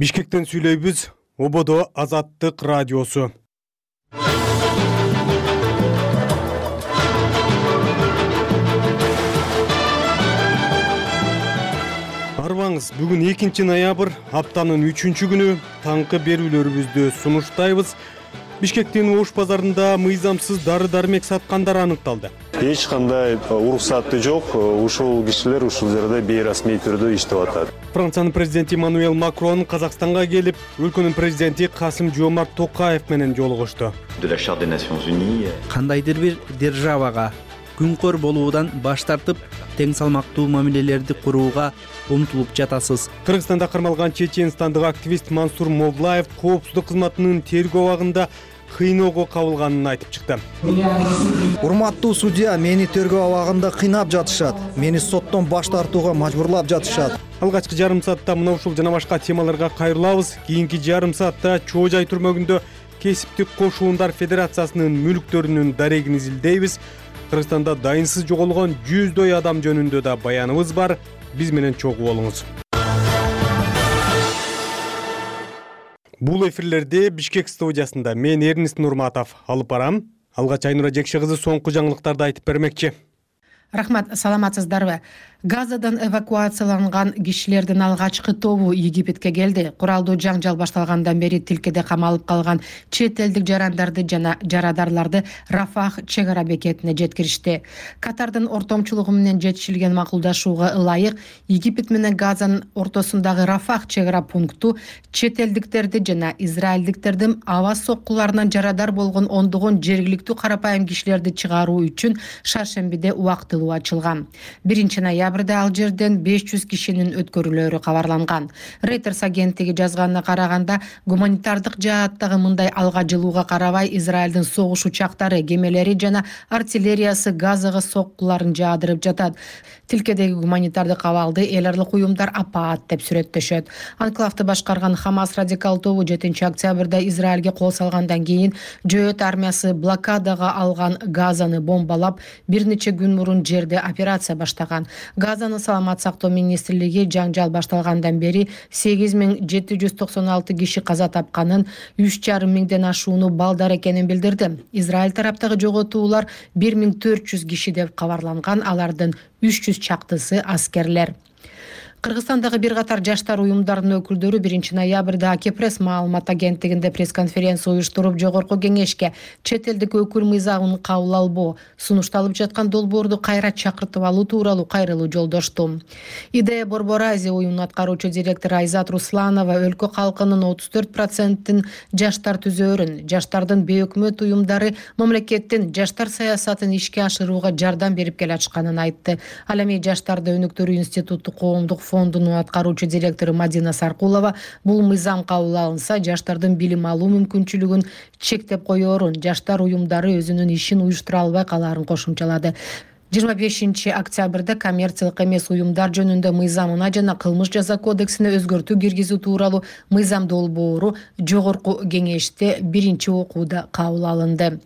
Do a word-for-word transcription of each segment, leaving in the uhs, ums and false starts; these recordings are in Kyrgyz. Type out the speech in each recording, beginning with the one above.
Бишкектен сүйлөйбүз. Ободо Азаттык радиосу. Арбаңыз, бүгүн экинчи ноябрь, аптанын үчүнчү күнү таңкы берүүлөрүбүздү сунуштайбыз. Бишкектин Ош базарында мыйзамсыз дары-дармек саткандар аныкталды. Эч кандай уруксаты жок. Ушул кишилер ушул жерде бейрасмий түрдө иштеп атат. Франциянын президенти Эммануэль Макрон Казакстанга келип, өлкөнүн президенти Касым-Жомарт Токаев менен жолугушту. Кандайдыр бир державага күнкөр болуудан баш тартып, тең салмактуу мамилелерди курууга умтулуп жатасыз. Кыргызстанда кармалган чеченстандык активист Мансур Мовлаев коопсуздук кызматынын тергөө абагында кыйноого кабылганын айтып чыкты. Урматтуу судья, мени тергөө абагында кыйнап жатышат. Мени соттон баш тартууга мажбурлап жатышат. Алгачкы жарым саатта мына ушул жана башка темаларга кайрылабыз. Кийинки жарым саатта Чоо Жай түрмөгүндө кесиптик кошуундар федерациясынын мүлктөрүнүн дарегин изилдейбиз. Кыргызстанда дайынсыз жоголгон жүздөй адам жөнүндө да баяныбыз бар. Биз менен чогуу болуңуз. Бул эфирлерди Бишкек студиясында мен Эрнест Нурматов алып барам. Алгач Айнура Жекше кызы соңку жаңылыктарды айтып бермекчи. Рахмат, саламатсыздарбы? Газадан эвакуацияланган кишилердин алгачкы тобу Египетке келди. Куралдуу жаңжал башталгандан бери тилкеде камалып калган чет элдик жарандарды жана жарадарларды Рафах чек ара бекетине жеткиришти. Катардын ортомчулугу менен жетишилген макулдашууга ылайык Египет менен Газанын ортосундагы Рафах чек ара пункту чет элдиктерди жана израилдиктердин аба соккуларынан жарадар болгон ондогон жергиликтүү карапайым кишилерди чыгаруу үчүн шаршембиде убактылуу ачылган. биринчи ноябрда ал жерден беш жүз кишинин өткөрүлөрү кабарланган. Reuters агенттиги жазганына караганда, гуманитардык жааттагы мындай алга жылууга карабай Израилдин согуш учактары, кемелери жана артиллериясы Газага соккуларын жаадырып жатат. Тилкедеги гуманитардык абалды эл аралык уюмдар апаат деп сүрөттөшөт. Анклавды башкарган Хамас радикал тобу жетинчи октябрда Израилге кол салгандан кийин Жөөт армиясы блокадага алган Газаны бомбалап, бир нече күн мурун жерде операция баштаган. Газанын саламат сактоо министрлиги жаңжал башталгандан бери сегиз миң жети жүз токсон алты киши каза тапканын, үч жарым миңден ашууну балдар экенин билдирди. Израиль тараптагы жоготуулар бир миң төрт жүз киши деп кабарланган, алардын үч жүз чактысы аскерлер. Кыргызстандагы бир катар жаштар уюмдарынын өкүлдөрү биринчи ноябрда Акепресс маалымат агенттигинде пресс-конференция уюштуруп, жогорку кеңешке чет элдик өкүл мыйзамын кабыл албоо, сунушталып жаткан долбоорду кайра чакыртып алуу тууралуу кайрылуу жолдошту. Идея Борбор Азия уюмунун аткаруучу директору Айзат Русланова өлкө калкынын отуз төрт процентин жаштар түзөөрүн, жаштардын бейөкмөт уюмдары мамлекеттин жаштар саясатын ишке ашырууга жардам берип келатышканын айтты. Ал эми Жаштарды өнүктүрүү институту коомдук фондунун аткаруучу директору Мадина Саркулова бул мыйзам кабыл алынса, жаштардын билим алуу мүмкүнчүлүгүн чектеп коёрун, жаштар уюмдары өзүнүн ишин уюштура албай калаарын кошумчалады. жыйырма бешинчи октябрда коммерциялык эмес уюмдар жөнүндө мыйзамына жана кылмыш жаза кодексине өзгөртүү киргизүү тууралуу мыйзам долбоору жогорку кеңеште биринчи окууда кабыл алынды.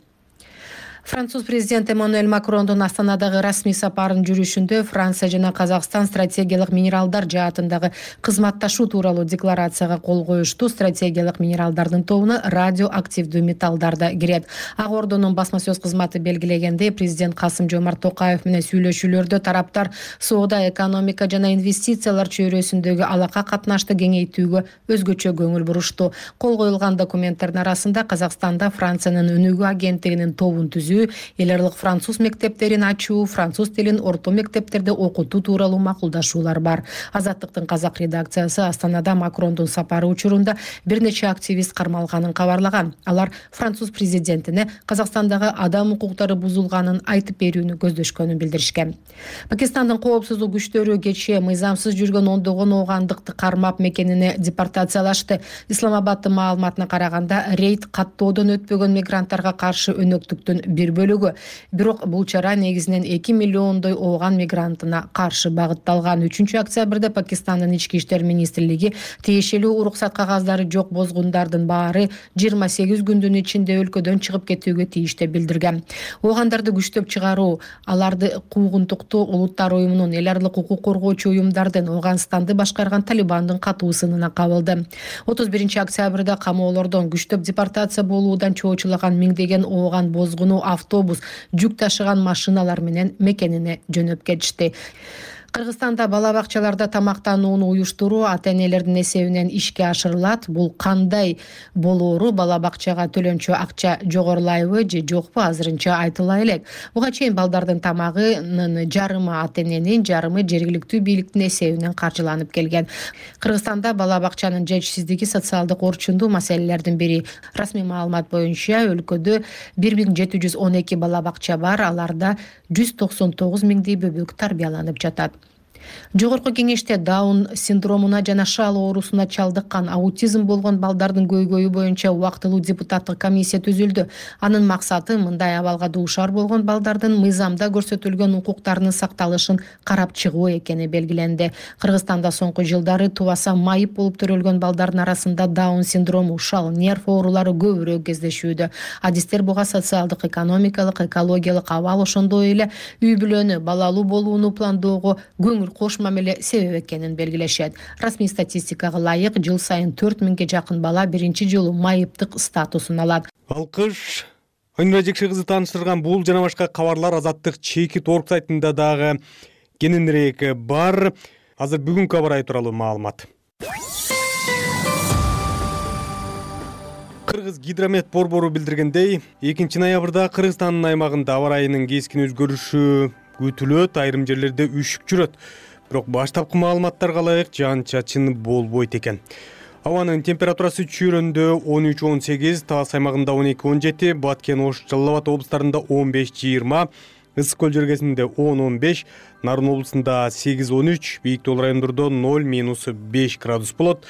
Француз президенти Эммануэль Макрондун Астанадагы расмий сапарынын жүрүшүндө Франция жана Казакстан стратегиялык минералдар жаатындагы кызматташуу тууралуу декларацияга кол коюшту. Стратегиялык минералдардын тобуна радиоактивдүү металлдар да кирет. Ак Ордонун басма сөз кызматы белгилегендей, президент Касым-Жомарт Токаев менен сүйлөшүүлөрдө тараптар соода, экономика жана инвестициялар чөйрөсүндөгү алака катнашты кеңейтүүгө өзгөчө көңүл бурушту. Кол коюлган документтердин арасында Казакстанда Франциянын өнүгүү агенттигинин тобун түзүү, эл аралык француз мектептерин ачуу, француз тилин орто мектептерде окутуу тууралуу макулдашуулар бар. Азаттыктын казак редакциясы Астанада Макрондун сапары учурунда бир нече активист кармалганын кабарлаган. Алар француз президентине Казакстандагы адам укуктары бузулганын айтып берүүнү көздөшкөнүн билдиришкен. Пакистандын коопсуздук күчтөрү кечээ мыйзамсыз жүргөн ондогон оогандыкты кармап мекенине депортациялашты. Исламабаддын маалыматына караганда, рейд каттоодон өтпөгөн мигранттарга каршы өнөктүктүн бир бөлүгү. Бирок бул чара негизинен эки миллиондой ооган мигрантына каршы багытталган. үчүнчү октябрда Пакистандын ички иштер министрлиги тиешелүү уруксат кагаздары жок бозгундардын баары жыйырма сегиз күндүн ичинде өлкөдөн чыгып кетүүгө тийиштүү билдирген. Оогандарды күчтөп чыгаруу, аларды куугунтуктуу улуттар уюмунун, эл аралык укук коргоочу уюмдардын, Ооганстанды башкарган Талибандын катуу сынына кабылды. отуз биринчи октябрда камоолордон күчтөп депортация болуудан чоочулаган миңдеген ооган бозгуну автобус, жүк ташыган машиналар менен мекенине жөнөп кетишти. Кыргызстанда бала бакчаларда тамактанууну уюштуруу ата-энелердин эсебинен ишке ашырылат. Бул кандай болоору, бала бакчага төлөнчү акча жогорулайбы же жокпу азырынча айтыла элек. Буга чейин балдардын тамагынын жарымы ата-эненин, жарымы жергиликтүү бийликтин эсебинен каржыланып келген. Кыргызстанда бала бакчанын жетишсиздиги социалдык орчундуу маселелердин бири. Расмий маалымат боюнча өлкөдө бир миң жети жүз он эки бала бакча бар, аларда жүз токсон тогуз миңдей бөбөк тарбияланып жатат. Жогорку кеңеште Даун синдромуна жана шал оорусуна чалдыккан, аутизм болгон балдардын көйгөйү боюнча убактылуу депутаттык комиссия түзүлдү. Анын максаты мындай абалга дуушар болгон балдардын мыйзамда көрсөтүлгөн укуктарынын сакталышын карап чыгуу экени белгиленди. Кыргызстанда соңку жылдары тубаса майып болуп төрөлгөн балдардын арасында Даун синдрому, шал, нерв оорулары көбүрөөк кездешүүдө. Адистер буга социалдык, экономикалык, экологиялык абал, ошондой эле үй бүлөнү, балалуу болууну пландоого көңүл кош мамиле себеп экенин белгилешет. Расмий статистикага ылайык жыл сайын төрт миңге жакын бала биринчи жолу майыптык статусун алат. Алкыш. Айнура Жекше кызы тааныштырган бул жана башка кабарлар Азаттык чекит орг сайтында дагы кененирээк бар. Азыр бүгүнкү аба ырайы тууралуу маалымат. Кыргыз гидромет борбору билдиргендей, экинчи ноябрда Кыргызстандын аймагында аба ырайынын кескин өзгөрүшү күтүлөт, айрым жерлерде үшүк жүрөт. Бирок баштапкы маалыматтарга ылайык жаан-чачын болбойт экен. Абанын температурасы чүйрөндө он үч он сегиз, Талас аймагында он эки он жети, Баткен, Ош, Жалал Абад облустарында он беш жыйырма, Ысык көл жергесинде он он беш, Нарын облусунда сегиз он үч, бийик тоо райондордо ноль минус беш градус болот.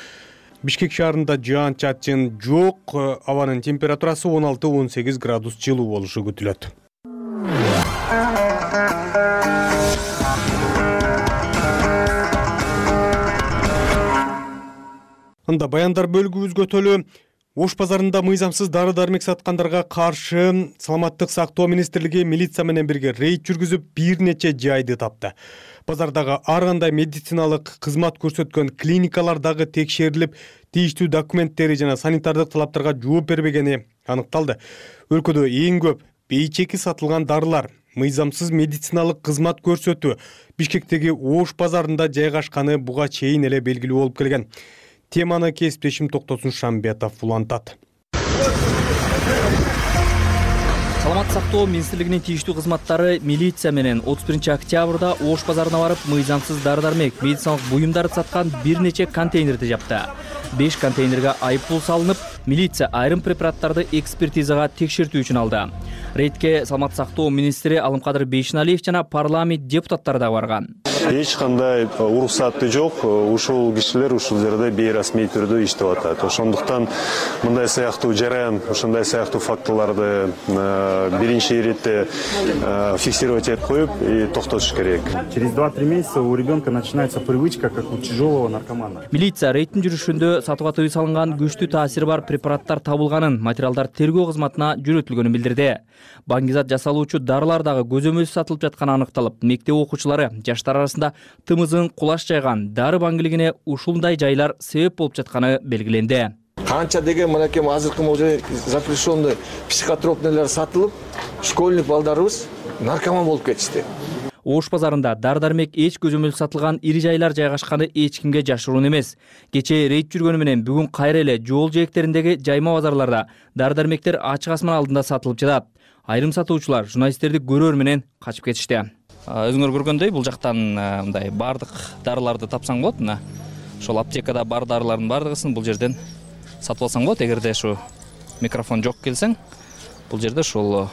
Бишкек шаарында жаан-чачын жок, абанын температурасы он алты он сегиз градус жылуу болушу күтүлөт. Анда баяндар бөлүгүбүзгө төлөө Ош базарында мыйзамсыз дары-дармек саткандарга каршы Саламаттык сактоо министрлиги милиция менен бирге рейд жүргүзүп бир нече жайды тапты. Базардагы ар кандай медициналык кызмат көрсөткөн клиникалар дагы текшерилип, тийиштүү документтери жана санитардык талаптарга жооп бербегени аныкталды. Өлкөдө эң көп бейчеки сатылган дарылар, мыйзамсыз медициналык кызмат көрсөтүү Бишкектеги Ош базарында жайгашканы буга чейин эле белгилүү болуп келген. Теманы кесиптешим Токтосун Шамбетов улантат. Саламат сактоо министрлигинин тийиштүү кызматтары милиция менен отуз биринчи октябрда Ош базарына барып, мыйзамсыз дары-дармек, медициналык буюмдарды саткан бир нече контейнерди жапты. беш контейнерге айыппул салынып, милиция айрым препараттарды экспертизага текшертүү үчүн алды. Рейдке Саламат сактоо министри Алымкадыр Бейшеналиев жана парламент депутаттары да барган. Эч кандай уруксаты жок, ушул кишилер ушул жерде бейрасмий түрдө иштеп атат. Ошондуктан мындай сыяктуу жараян, ошондой сыяктуу фактыларды биринчи иретте фиксировать этип коюп и токтотуш керек. Через два-три месяца у ребенка начинается привычка, как у тяжелого наркомана. Милиция рейдтин жүрүшүндө сатууга тыюу салынган күчтүү таасири бар препараттар табылганын, материалдар тергөө кызматына жөнөтүлгөнүн билдирди. Баңгизат жасалуучу дарылар дагы көзөмөлсүз сатылып жатканы аныкталып, мектеп окуучулары жаштар арасында тымызын кулаш жайган дары баңгилигине ушундай жайлар себеп болуп жатканы белгиленди. Канча деген мынакей азыркы могу запрещенный психотропныйлар сатылып, школьник балдарыбыз наркоман болуп кетишти. Ош базарында дар-дармек эч көзөмөлсүз сатылган ири жайлар жайгашканы эч кимге жашыруун эмес. Кечээ рейд жүргөнү менен бүгүн кайра эле жол жээктериндеги жайма базарларда дар-дармектер ачык асман алдында сатылып жатат. Айрым сатуучулар журналисттерди көрөр менен качып кетишти. Өзүңөр көргөндөй бул жактан мындай бардык дарыларды тапсаң болот. Мына ошол аптекада бар дарылардын бардыгысын бул жерден сатып алсаң болот. Эгерде ушу микрофон жок келсең, бул жерде ушул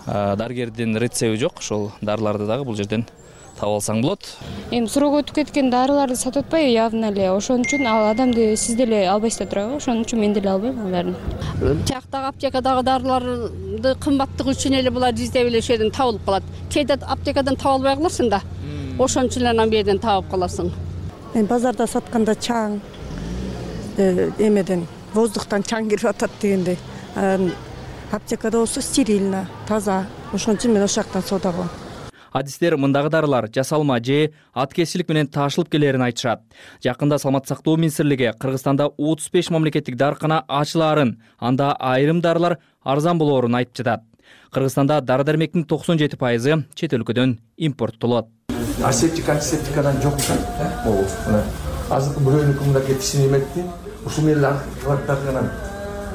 дарыгердин рецеби жок, ошол дарыларды дагы бул жерден таап алсаң болот. Эми срок өтүп кеткен дарыларды сатып атпайбы явно эле. Ошон үчүн ал адамды сиз деле албайсыздар турабы? Ошон үчүн мен деле албайм аларды. Тияктагы аптекадагы дарыларды кымбаттыгы үчүн эле булар издеп эле ошол жерден табылып калат. Кээде аптекадан таба албай каласың да. Ошон үчүн эле анан бу жерден табып каласың. Мен базарда сатканда чаң эмеден воздухтан чаң кирип атат дегенде. Аптекада болсо стерильно, таза. Ошон үчүн мен ошол жактан соода кылам. Адистер мындагы дарылар жасалма же аткезчилик менен таашылып келерин айтышат. Жакында Саламаттык сактоо министрлиги Кыргызстанда отуз беш мамлекеттик дарыкана ачылаарын, анда айрым дарылар арзан болоорун айтып жатат. Кыргызстанда дары-дармектин токсон жети пайызы чет өлкөдөн импорттолот. Асептик, антисептикадан жок да. Могу. Азыр бирөөнүкү мында кетип синеметти. Ушул менен кылаттарганан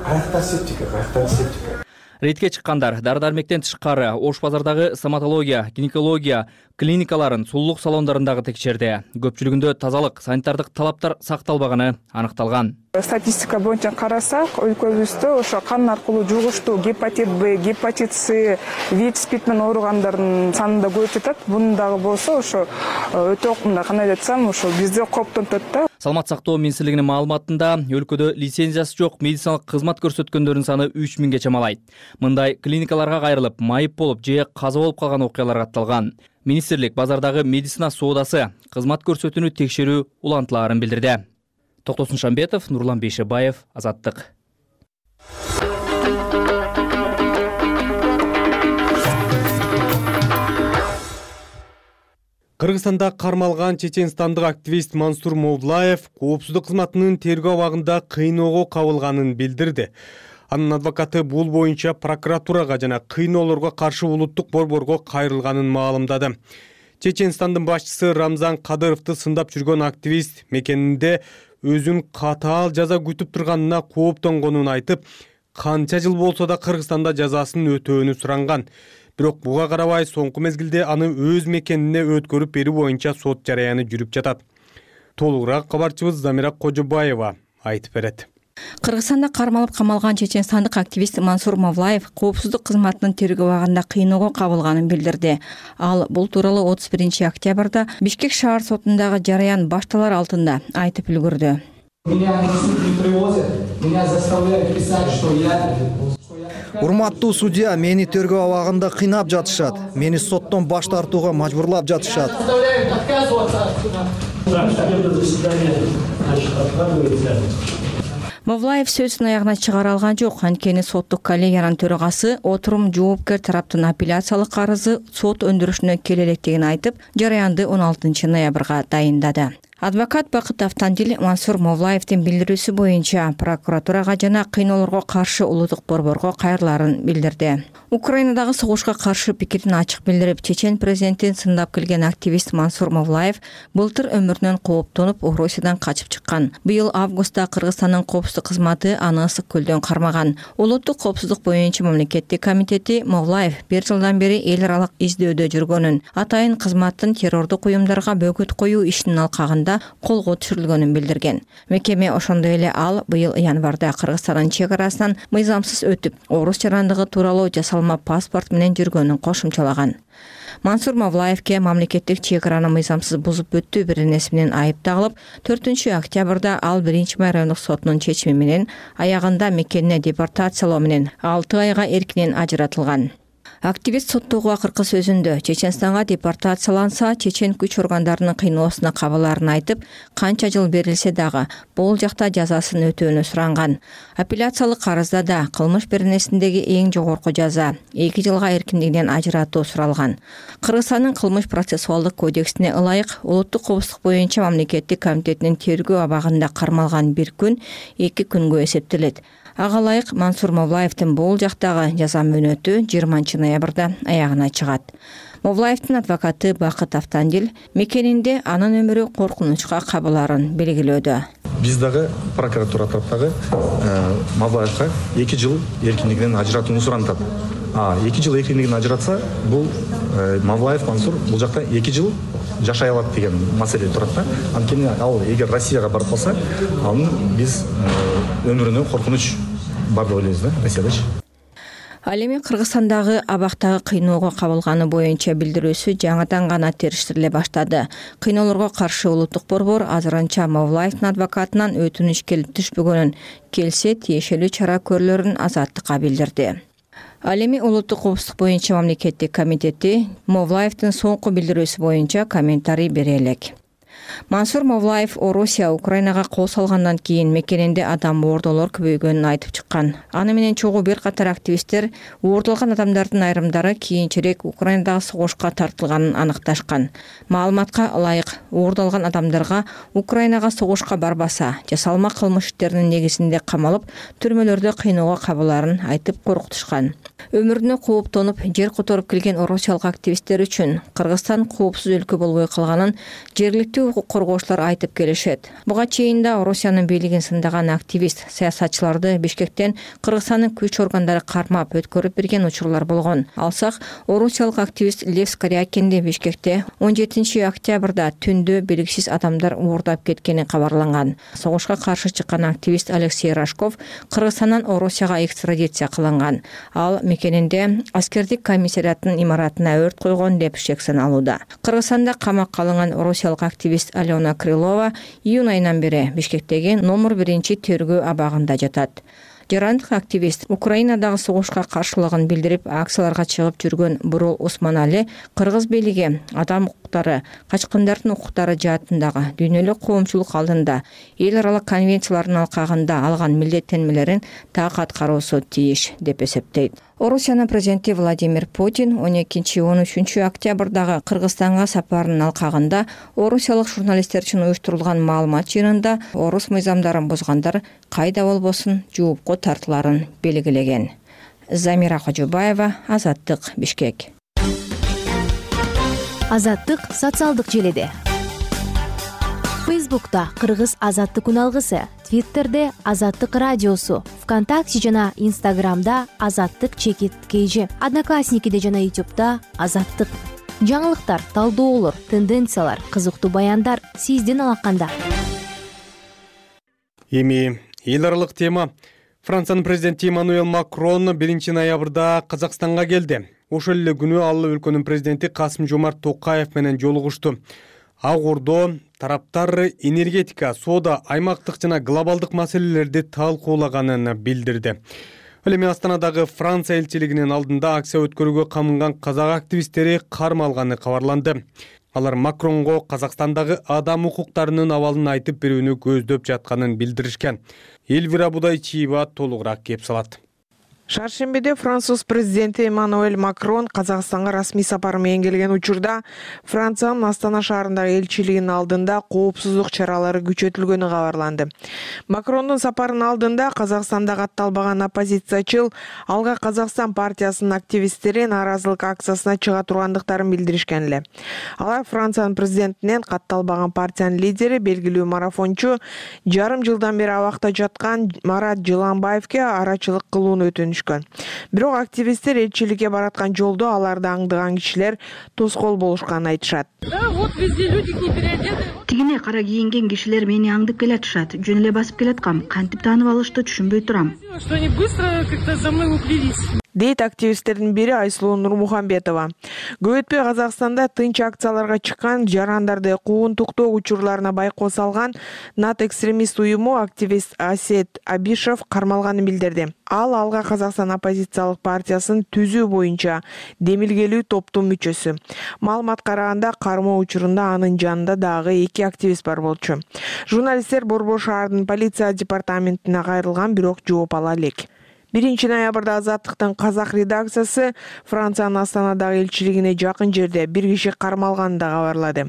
аяктар септика, аяктар септика. Рейдке чыккандар дары-дармектен тышкары Ош базардагы стоматология, гинекология клиникаларын, сулуулук салондорунда текшерди. Көпчүлүгүндө тазалык, санитардык талаптар сакталбаганы аныкталган. Статистика боюнча карасак, өлкөбүздө ошо кан аркылуу жугуштуу гепатит Б, гепатит С, ВИЧ, СПИД менен ооругандардын саны да көбөйүп жатат. Бунун дагы болсо ошо өтө мындай кандай айтсам, ошо бизди коптонтот да. Саламаттык сактоо министрлигинин маалыматында өлкөдө лицензиясы жок медициналык кызмат көрсөткөндөрдүн саны үч миңге чамалайт. Мындай клиникаларга кайрылып, майып болуп же каза болуп калган окуялар катталган. Министрлик базардагы медицина соодасы, кызмат көрсөтүүнү текшерүү улантылаарын билдирди. Токтосун Шамбетов, Нурлан Бейшебаев, Азаттык. Кыргызстанда кармалган чеченстандык активист Мансур Мовлаев коопсуздук кызматынын тергөө абагында кыйноого кабылганын билдирди. Анын адвокаты бул боюнча прокуратурага жана кыйноолорго каршы улуттук борборго кайрылганын маалымдады. Чеченстандын башчысы Рамзан Кадыровду сындап жүргөн активист мекенинде өзүн катаал жаза күтүп турганына кооптонгонун айтып, канча жыл болсо да Кыргызстанда жазасын өтөөнү суранган. Бирок буга карабай соңку мезгилде аны өз мекенине өткөрүп берүү боюнча сот жараяны жүрүп жатат. Толугураак кабарчыбыз Замира Кожобаева айтып берет. Кыргызстанда кармалып камалган чеченстандык активист Мансур Мовлаев коопсуздук кызматынын тергөө абагында кыйноого кабылганын билдирди. Ал бул тууралуу отуз биринчи октябрда Бишкек шаар сотундагы жараян башталар алдында айтып үлгүрдү. Урматтуу судья, мени тергөө абагында кыйнап жатышат. Мени соттон баш тартууга мажбурлап жатышат. Мовлаев сөзүн аягына чыгара алган жок. Анткени соттук коллегиянын төрагасы отурум жоопкер тараптын апелляциялык арызы сот өндүрүшүнө келе электигин айтып, жараянды он алтынчы ноябрга дайындады. Адвокат Бакыт Автандил Мансур Мовлаевдин билдирүүсү боюнча прокуратурага жана кыйноолорго каршы улуттук борборго кайрылаарын билдирди. Украинадагы согушка каршы пикирин ачык билдирип, чечен президентин сындап келген активист Мансур Мовлаев былтыр өмүрүнөн кооптонуп Орусиядан качып чыккан. Быйыл августта Кыргызстандын коопсуздук кызматы аны ысык көлдөн кармаган. Улуттук коопсуздук боюнча мамлекеттик комитети Мовлаев бир жылдан бери эл аралык издөөдө жүргөнүн, атайын кызматтын террордук уюмдарга бөгөт коюу ишинин алкагында колго түшүрүлгөнүн билдирген. Мекеме ошондой эле ал быйыл январда Кыргызстандын чек арасынан мыйзамсыз өтүп, орус жарандыгы тууралуу жасалма паспорт менен жүргөнүн кошумчалаган. Мансур Мовлаевке мамлекеттик чек араны мыйзамсыз бузуп өттүү беренеси менен айып тагылып, төртүнчү октябрда ал биринчи райондук сотунун чечими менен аягында мекенине депортациялоо менен алты айга эркинен ажыратылган. Активист соттогу акыркы сөзүндө Чеченстанга депортацияланса, чечен күч органдарынын кыйноосуна кабылаарын айтып, канча жыл берилсе дагы бул жакта жазасын өтөөнү суранган. Апелляциялык арызда да кылмыш беренесиндеги эң жогорку жаза эки жылга эркиндигинен ажыратуу суралган. Кыргызстандын кылмыш процессуалдык кодексине ылайык улуттук коопсуздук боюнча мамлекеттик комитетинин тергөө абагында кармалган бир күн эки күнгө эсептелет. Ага ылайык Мансур Мовлаевдин бул жактагы жаза мөөнөтү жыйырманчы ноябрда аягына чыгат. Мовлаевдин адвокаты Бакыт Автандил мекенинде анын өмүрү коркунучка кабылаарын белгилөөдө. Биз дагы прокуратура тараптагы Мовлаевга эки жыл эркиндигинен ажыратууну сурантат. А эки жыл эркиндигинен ажыратса, бул Мовлаев Мансур бул жакта эки жыл жашай алат деген маселе турат да. Анткени ал эгер Россияга барып калса, анын биз өмүрүнө коркунуч бар деп ойлойбуз да, Россиядачы. Ал эми Кыргызстандагы абактагы кыйноого кабылганы боюнча билдирүүсү жаңыдан гана териштириле баштады. Кыйноолорго каршы улуттук борбор азырынча Мавлаевдин адвокатынан өтүнүч келип түшпөгөнүн, келсе тиешелүү чара көрүлөрүн Азаттыкка билдирди. Ал эми улуттук коопсуздук боюнча мамлекеттик комитети Мавлаевдин соңку билдирүүсү боюнча комментарий бере элек. Мансур Мавлаев Орусия Украинага кол салгандан кийин мекенинде адам оордолор көбөйгөнүн айтып чыккан. Аны менен чогуу бир катар активисттер оордолгон адамдардын айрымдары кийинчерээк Украинадагы согушка тартылганын аныкташкан. Маалыматка ылайык, оордолгон адамдарга Украинага согушка барбаса, жасалма кылмыш иштеринин негизинде камалып, түрмөлөрдө кыйноого кабыларын айтып коркутушкан. Өмүрүнө кооптонуп, жер которуп келген орусиялык активисттер үчүн Кыргызстан коопсуз өлкө болбой калганын жергиликтүү укук коргоочулар айтып келишет. Буга чейин да Орусиянын бийлигин сындаган активист саясатчыларды Бишкектен Кыргызстандын күч органдары кармап өткөрүп берген учурлар болгон. Алсак, орусиялык активист Лев Скорякинди Бишкекте он жетинчи октябрда түндө белгисиз адамдар уурдап кеткени кабарланган. Согушка каршы чыккан активист Алексей Рожков Кыргызстандан Орусияга экстрадиция кылынган. Ал мекенинде аскердик комиссариаттын имаратына өрт койгон деп шек саналууда. Кыргызстанда камакка алынган орусиялык активист Алена Крылова июнь айынан бери Бишкектеги номер биринчи тергөө абагында жатат. Жарандык активист Украинадагы согушка каршылыгын билдирип, акцияларга чыгып жүргөн Бурул Усманали кыргыз бийлиги адам укуктары, качкындардын укуктары жаатындагы дүйнөлүк коомчулук алдында эл аралык конвенциялардын алкагында алган милдеттенмелерин так аткаруусу тийиш деп эсептейт. Орусиянын президенти Владимир Путин он экинчи он үчүнчү октябрдагы Кыргызстанга сапарынын алкагында орусиялык журналисттер үчүн уюштурулган маалымат жыйынында орус мыйзамдарын бузгандар кайда болбосун жоопко тартыларын белгилеген. Замира Кожобаева, Азаттык, Бишкек. Азаттык социалдык желеде. Фейсбукта Кыргыз Азаттык үналгысы, Твиттерде Азаттык радиосу, ВКонтакте жана Инстаграмда Азаттык чекит кейжи, Одноклассникиде жана Ютубта Азаттык. Жаңылыктар, талдоолор, тенденциялар, кызыктуу баяндар сиздин алаканда. Эми эл аралык тема. Франциянын президенти Эммануэль Макрон биринчи ноябрда Казакстанга келди. Ошол эле күнү ал өлкөнүн президенти Касым-Жомарт Токаев менен жолугушту. Ак Ордо тараптар энергетика, соода, аймактык жана глобалдык маселелерди талкуулаганын билдирди. Ал эми Астанадагы Франция элчилигинин алдында акция өткөрүүгө камынган казак активисттери кармалганы кабарланды. Алар Макронго Казакстандагы адам укуктарынын абалын айтып берүүнү көздөп жатканын билдиришкен. Элвира Будайчиева толугураак кеп салат. Шаршембиде Француз президенти Эммануэль Макрон Казакстанга расмий сапары менен келген учурда Франциянын Астана шаарындагы элчилигинин алдында коопсуздук чаралары күчөтүлгөнү кабарланды. Макрондун сапарынын алдында Казакстанда катталбаган оппозициячыл Алга Казакстан партиясынын активисттери нааразылык акциясына чыга тургандыктарын билдиришкен эле. Алар Франциянын президентинен катталбаган партиянын лидери, белгилүү марафончу, жарым жылдан бери абакта жаткан Марат Жыланбаевке арачылык кылууну өтүнүшкөн. Бирок активисттер элчиликке бараткан жолдо аларды аңдыган кишилер тоскоол болушканын айтышат. Тигине кара кийинген кишилер мени аңдып келатышат. Жөн эле басып келаткам. Кантип таанып алышты түшүнбөй турам. Дейт активисттердин бири Айсулуу Нурмухамбетова. Көп өтпөй Казакстанда тынч акцияларга чыккан жарандарды куугунтуктоо учурларына байкоо салган нат экстремист уюму активист Асет Абишев кармалганын билдирди. Ал Алга Казакстан оппозициялык партиясын түзүү боюнча демилгелүү топтун мүчөсү. Маалымат караганда кармоо учурунда анын жанында дагы эки активист бар болчу. Журналисттер Борбор шаардын полиция департаментине кайрылган, бирок жооп ала элек. биринчи ноябрда Азаттыктын казак редакциясы Франциянын Астанадагы элчилигине жакын жерде бир киши кармалганын да кабарлады.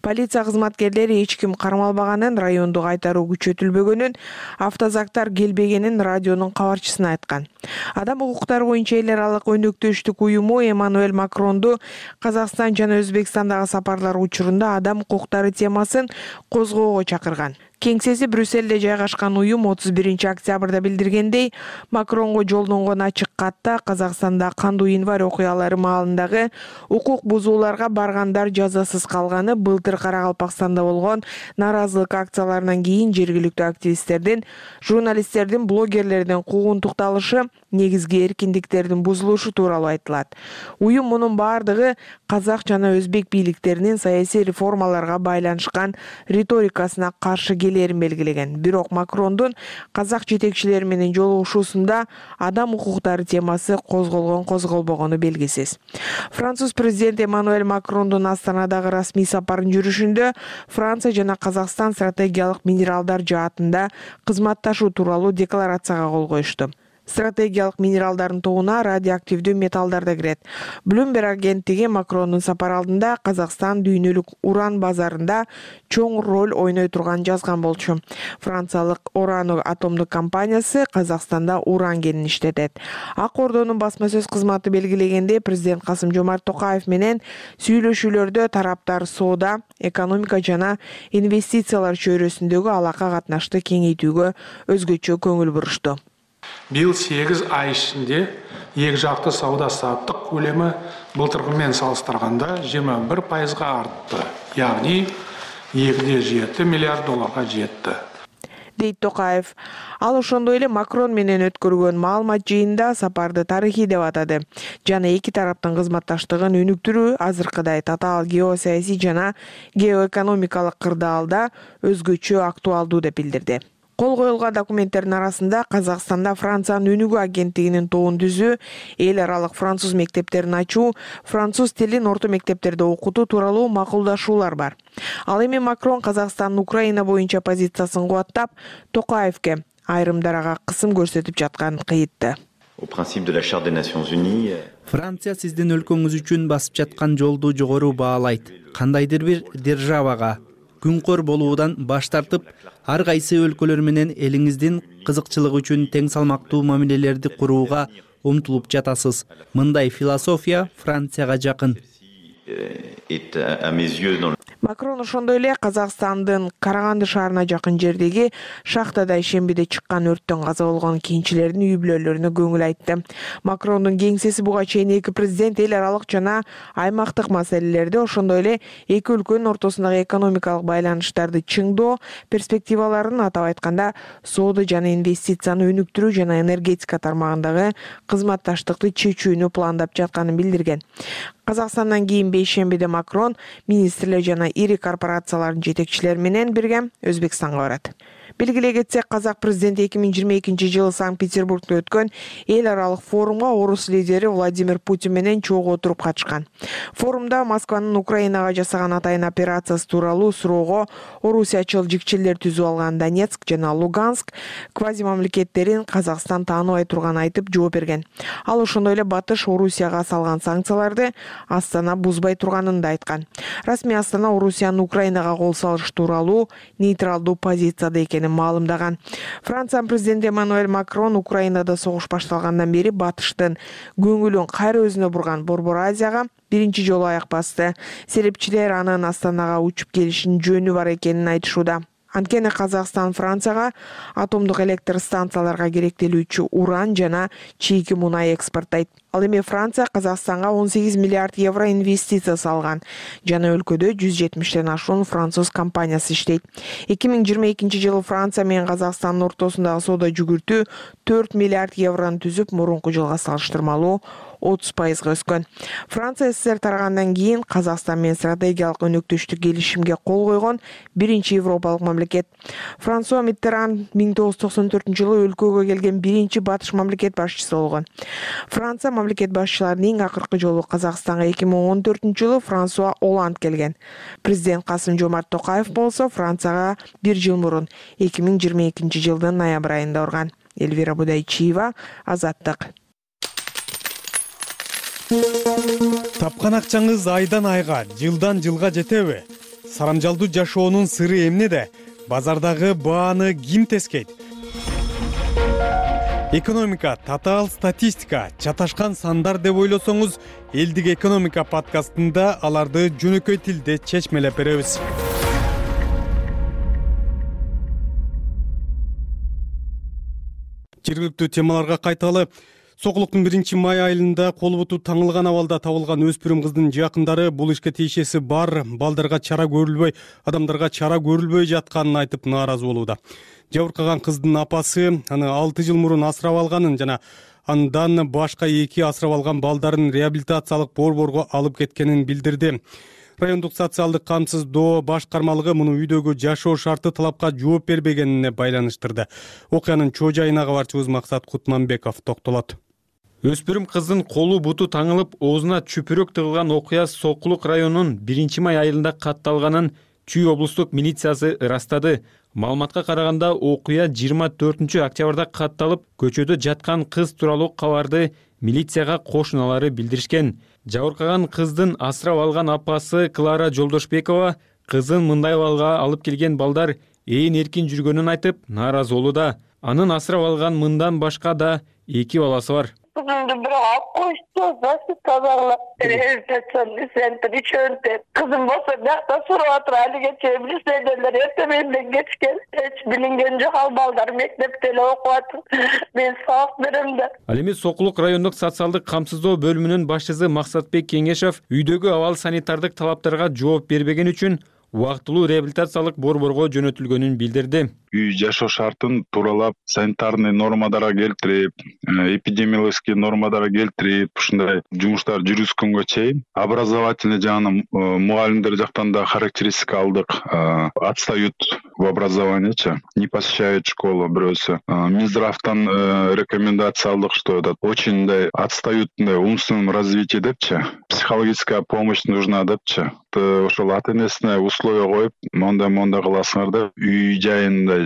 Полиция кызматкерлери эч ким кармалбаганын, райондо кайтаруу күчөтүлбөгөнүн, автозактар келбегенин радионун кабарчысына айткан. Адам укуктары боюнча эл аралык өнөктөштүк уюму Эммануэль Макронду Казакстан жана Өзбекстандагы сапарлар учурунда адам укуктары темасын козгоого чакырган. Кеңсеси Брюссельде жайгашкан уюм отуз биринчи октябрда билдиргендей, Макронго жолдонгон ачык катта Казакстанда кандуу январь окуялары маалындагы укук бузууларга баргандар жазасыз калганы, былтыр Каракалпакстанда болгон нааразылык акцияларынан кийин жергиликтүү активисттердин, журналисттердин, блогерлердин куугунтукталышы, негизги эркиндиктердин бузулушу тууралуу айтылат. Уюм мунун бардыгы казак жана өзбек бийликтеринин саясий реформаларга байланышкан риторикасына каршы келерин белгилеген. Бирок Макрондун казак жетекчилери менен жолугушуусунда адам укуктары темасы козголгон козголбогону белгисиз. Француз президенти Эммануэль Макрондун Астанадагы расмий сапарын жүрүшүндө Франция жана Казакстан стратегиялык минералдар жаатында кызматташуу тууралуу декларацияга кол коюшту. Стратегиялык минералдардын тобуна радиоактивдүү металлдар да кирет. Bloomberg агенттиги Макрондун сапар алдында Казакстан дүйнөлүк уран базарында чоң роль ойной турганын жазган болчу. Франциялык Орано атомдук компаниясы Казакстанда уран кенин иштетет. Ак Ордонун басма сөз кызматы белгилегенде, президент Касым-Жомарт Токаев менен сүйлөшүүлөрдө тараптар соода, экономика жана инвестициялар чөйрөсүндөгү алака катнашты кеңейтүүгө өзгөчө көңүл бурушту. Быйыл сегиз ай ичинде эки жакты сауда саттык көлөмү былтыркы менен салыштырганда жыйырма бир пайызга артты. Яғни эки де жети миллиард долларга жетти. Дейт Токаев. Ал ошондой эле Макрон менен өткөргөн маалымат жыйында сапарды тарыхый деп атады. Жана эки тараптын кызматташтыгын өнүктүрүү азыркыдай татаал геосаясий жана геоэкономикалык кырдаалда өзгөчө актуалдуу деп билдирди. Кол коюлган документтердин арасында Казакстанда Франциянын өнүгүү агенттигинин тобун түзүү, эл аралык француз мектептерин ачуу, француз тилин орто мектептерде окутуу тууралуу макулдашуулар бар. Ал эми Макрон Казакстандын Украина боюнча позициясын кубаттап, Токаевке айрымдарга кысым көрсөтүп жатканын кыйытты. Франция сиздин өлкөңүз үчүн басып жаткан жолду жогору баалайт. Кандайдыр бир державага күнкөр болуудан баш тартып, ар кайсы өлкөлөр менен элиңиздин кызыкчылыгы үчүн тең салмактуу мамилелерди курууга умтулуп жатасыз. Мындай философия Францияга жакын. Макрон ошондой эле Казакстандын Караганды шаарына жакын жердеги шахтада ишембиде чыккан өрттөн каза болгон кийинчилердин үй бүлөлөрүнө көңүл айтты. Макрондун кеңсеси буга чейин эки президент эл аралык жана аймактык маселелерде, ошондой эле эки өлкөнүн ортосундагы экономикалык байланыштарды чыңдоо перспективаларын, атап айтканда соода жана инвестицияны өнүктүрүү жана энергетика тармагындагы кызматташтыкты чечүүнү пландап жатканын билдирген. Казакстандан кийин бейшембиде Макрон министрлер жана ири корпорациялардын жетекчилери менен бирге Өзбекстанга барат. Белгилей кетсек, казак президенти эки миң жыйырма экинчи жылы Санкт-Петербургда өткөн эл аралык форумга орус лидери Владимир Путин менен чогуу отуруп катышкан. Форумда Москванын Украинага жасаган атайын операциясы тууралуу суроого орусиячыл жикчелер түзүп алган Донецк жана Луганск квази мамлекеттерин Казакстан тааныбай турганын айтып жооп берген. Ал ошондой эле Батыш Орусияга салган санкцияларды Астана бузбай турганын да айткан. Расмий Астана Орусиянын Украинага кол салыш тууралуу нейтралдуу позицияда экенин маалымдаган. Франциянын президенти Эммануэль Макрон Украинада согуш башталгандан бери Батыштын көңүлүн кайра өзүнө бурган Борбор Азияга биринчи жолу аяк басты. Серепчилер анын Астанага учуп келишинин жөнү бар экенин айтышууда. Анткени Казакстан Францияга атомдук электр станцияларга керектелүүчү уран жана чийки мунай экспорттойт. Ал эми Франция Казакстанга он сегиз миллиард евро инвестиция салган. Жана өлкөдө жүз жетимиштен ашуун француз компаниясы иштейт. эки миң жыйырма экинчи жылы Франция менен Казакстандын ортосундагы соода жүгүртүү төрт миллиард еврону түзүп, мурунку жылга салыштырмалуу отуз пайызга өскөн. Франция СССР тарагандан кийин Казакстан менен стратегиялык өнөктөштүк келишимге кол койгон биринчи европалык мамлекет. Франсуа Миттеран миң тогуз жүз токсон төртүнчү жылы өлкөгө келген биринчи батыш мамлекет башчысы болгон. Франция мамлекет башчыларынын эң акыркы жолу Казакстанга эки миң он төртүнчү жылы Франсуа Оланд келген. Президент Касым-Жомарт Токаев болсо Францияга бир жыл мурун эки миң жыйырма экинчи жылдын ноябрь айында барган. Эльвира Будайчиева, Азаттык. Тапкан акчаңыз айдан айга, жылдан жылга жетеби? Сарамжалдуу жашоонун сыры эмнеде? Базардагы бааны ким тескейт? Экономика, татаал статистика, чаташкан сандар деп ойлосоңуз, Элдик экономика подкастында аларды жөнөкөй тилде чечмелеп беребиз. Жергиликтүү темаларга кайталы. Сокулуктун биринчи май айылында колу буту таңылган абалда табылган өспүрүм кыздын жакындары бул ишке тиешеси бар, балдарга чара көрүлбөй, адамдарга чара көрүлбөй жатканын айтып нааразы болууда. Жабыркаган кыздын апасы аны алты жыл мурун асырап алганын жана андан башка эки асырап алган балдарын реабилитациялык борборго алып кеткенин билдирди. Райондук социалдык камсыздоо башкармалыгы муну үйдөгү жашоо шарты талапка жооп бербегенине байланыштырды. Окуянын чоо жайына кабарчыбыз Максат Кутманбеков токтолот. Өспүрүм кыздын колу буту таңылып, оозуна чүпүрөк тыгылган окуя Сокулук районунун биринчи май айылында катталганын Чүй облустук милициясы ырастады. Маалыматка караганда окуя жыйырма төртүнчү октябрда катталып, көчөдө жаткан кыз тууралуу кабарды милицияга кошуналары билдиришкен. Жабыркаган кыздын асырап алган апасы Клара Жолдошбекова кызын мындай абалга алып келген балдар ээн эркин жүргөнүн айтып, нааразы болууда. Анын асырап алган мындан башка да эки баласы бар. Kızımdı bırak koştu, başı kazanlar. Elbette sen bir çönte. Kızım olsa nakta suratı hali geçebilir. Seneler ertemenden geçken. Hiç bilingen yok al balдар mektepte okuatın. Ben sağ birimde. Ал эми Сокулук райондук социалдык камсыздоо бөлүмүнүн башчысы Максатбек Кеңешев үйдөгү абал санитардык талаптарга жооп бербеген үчүн убактылуу реабилитациялык борборго жөнөтүлгөнүн билдирди. Үй жашоо шартын тууралап, санитарный нормаларга келтирип, эпидемиологический нормаларга келтирип, ушундай жумуштар жүргүзгөнгө чейин образовательный жагынан мугалимдер жактан да характеристика алдык. Отстают в образованиечи, не посещают школу бирөөсү. Минздравтан рекомендация алдык, что это очень отстают в умственном развитии депчи. Психологическая помощь нужна депчи. Ошол ата энесине условия коюп, мондай-мондай кыласыңар деп үй жайында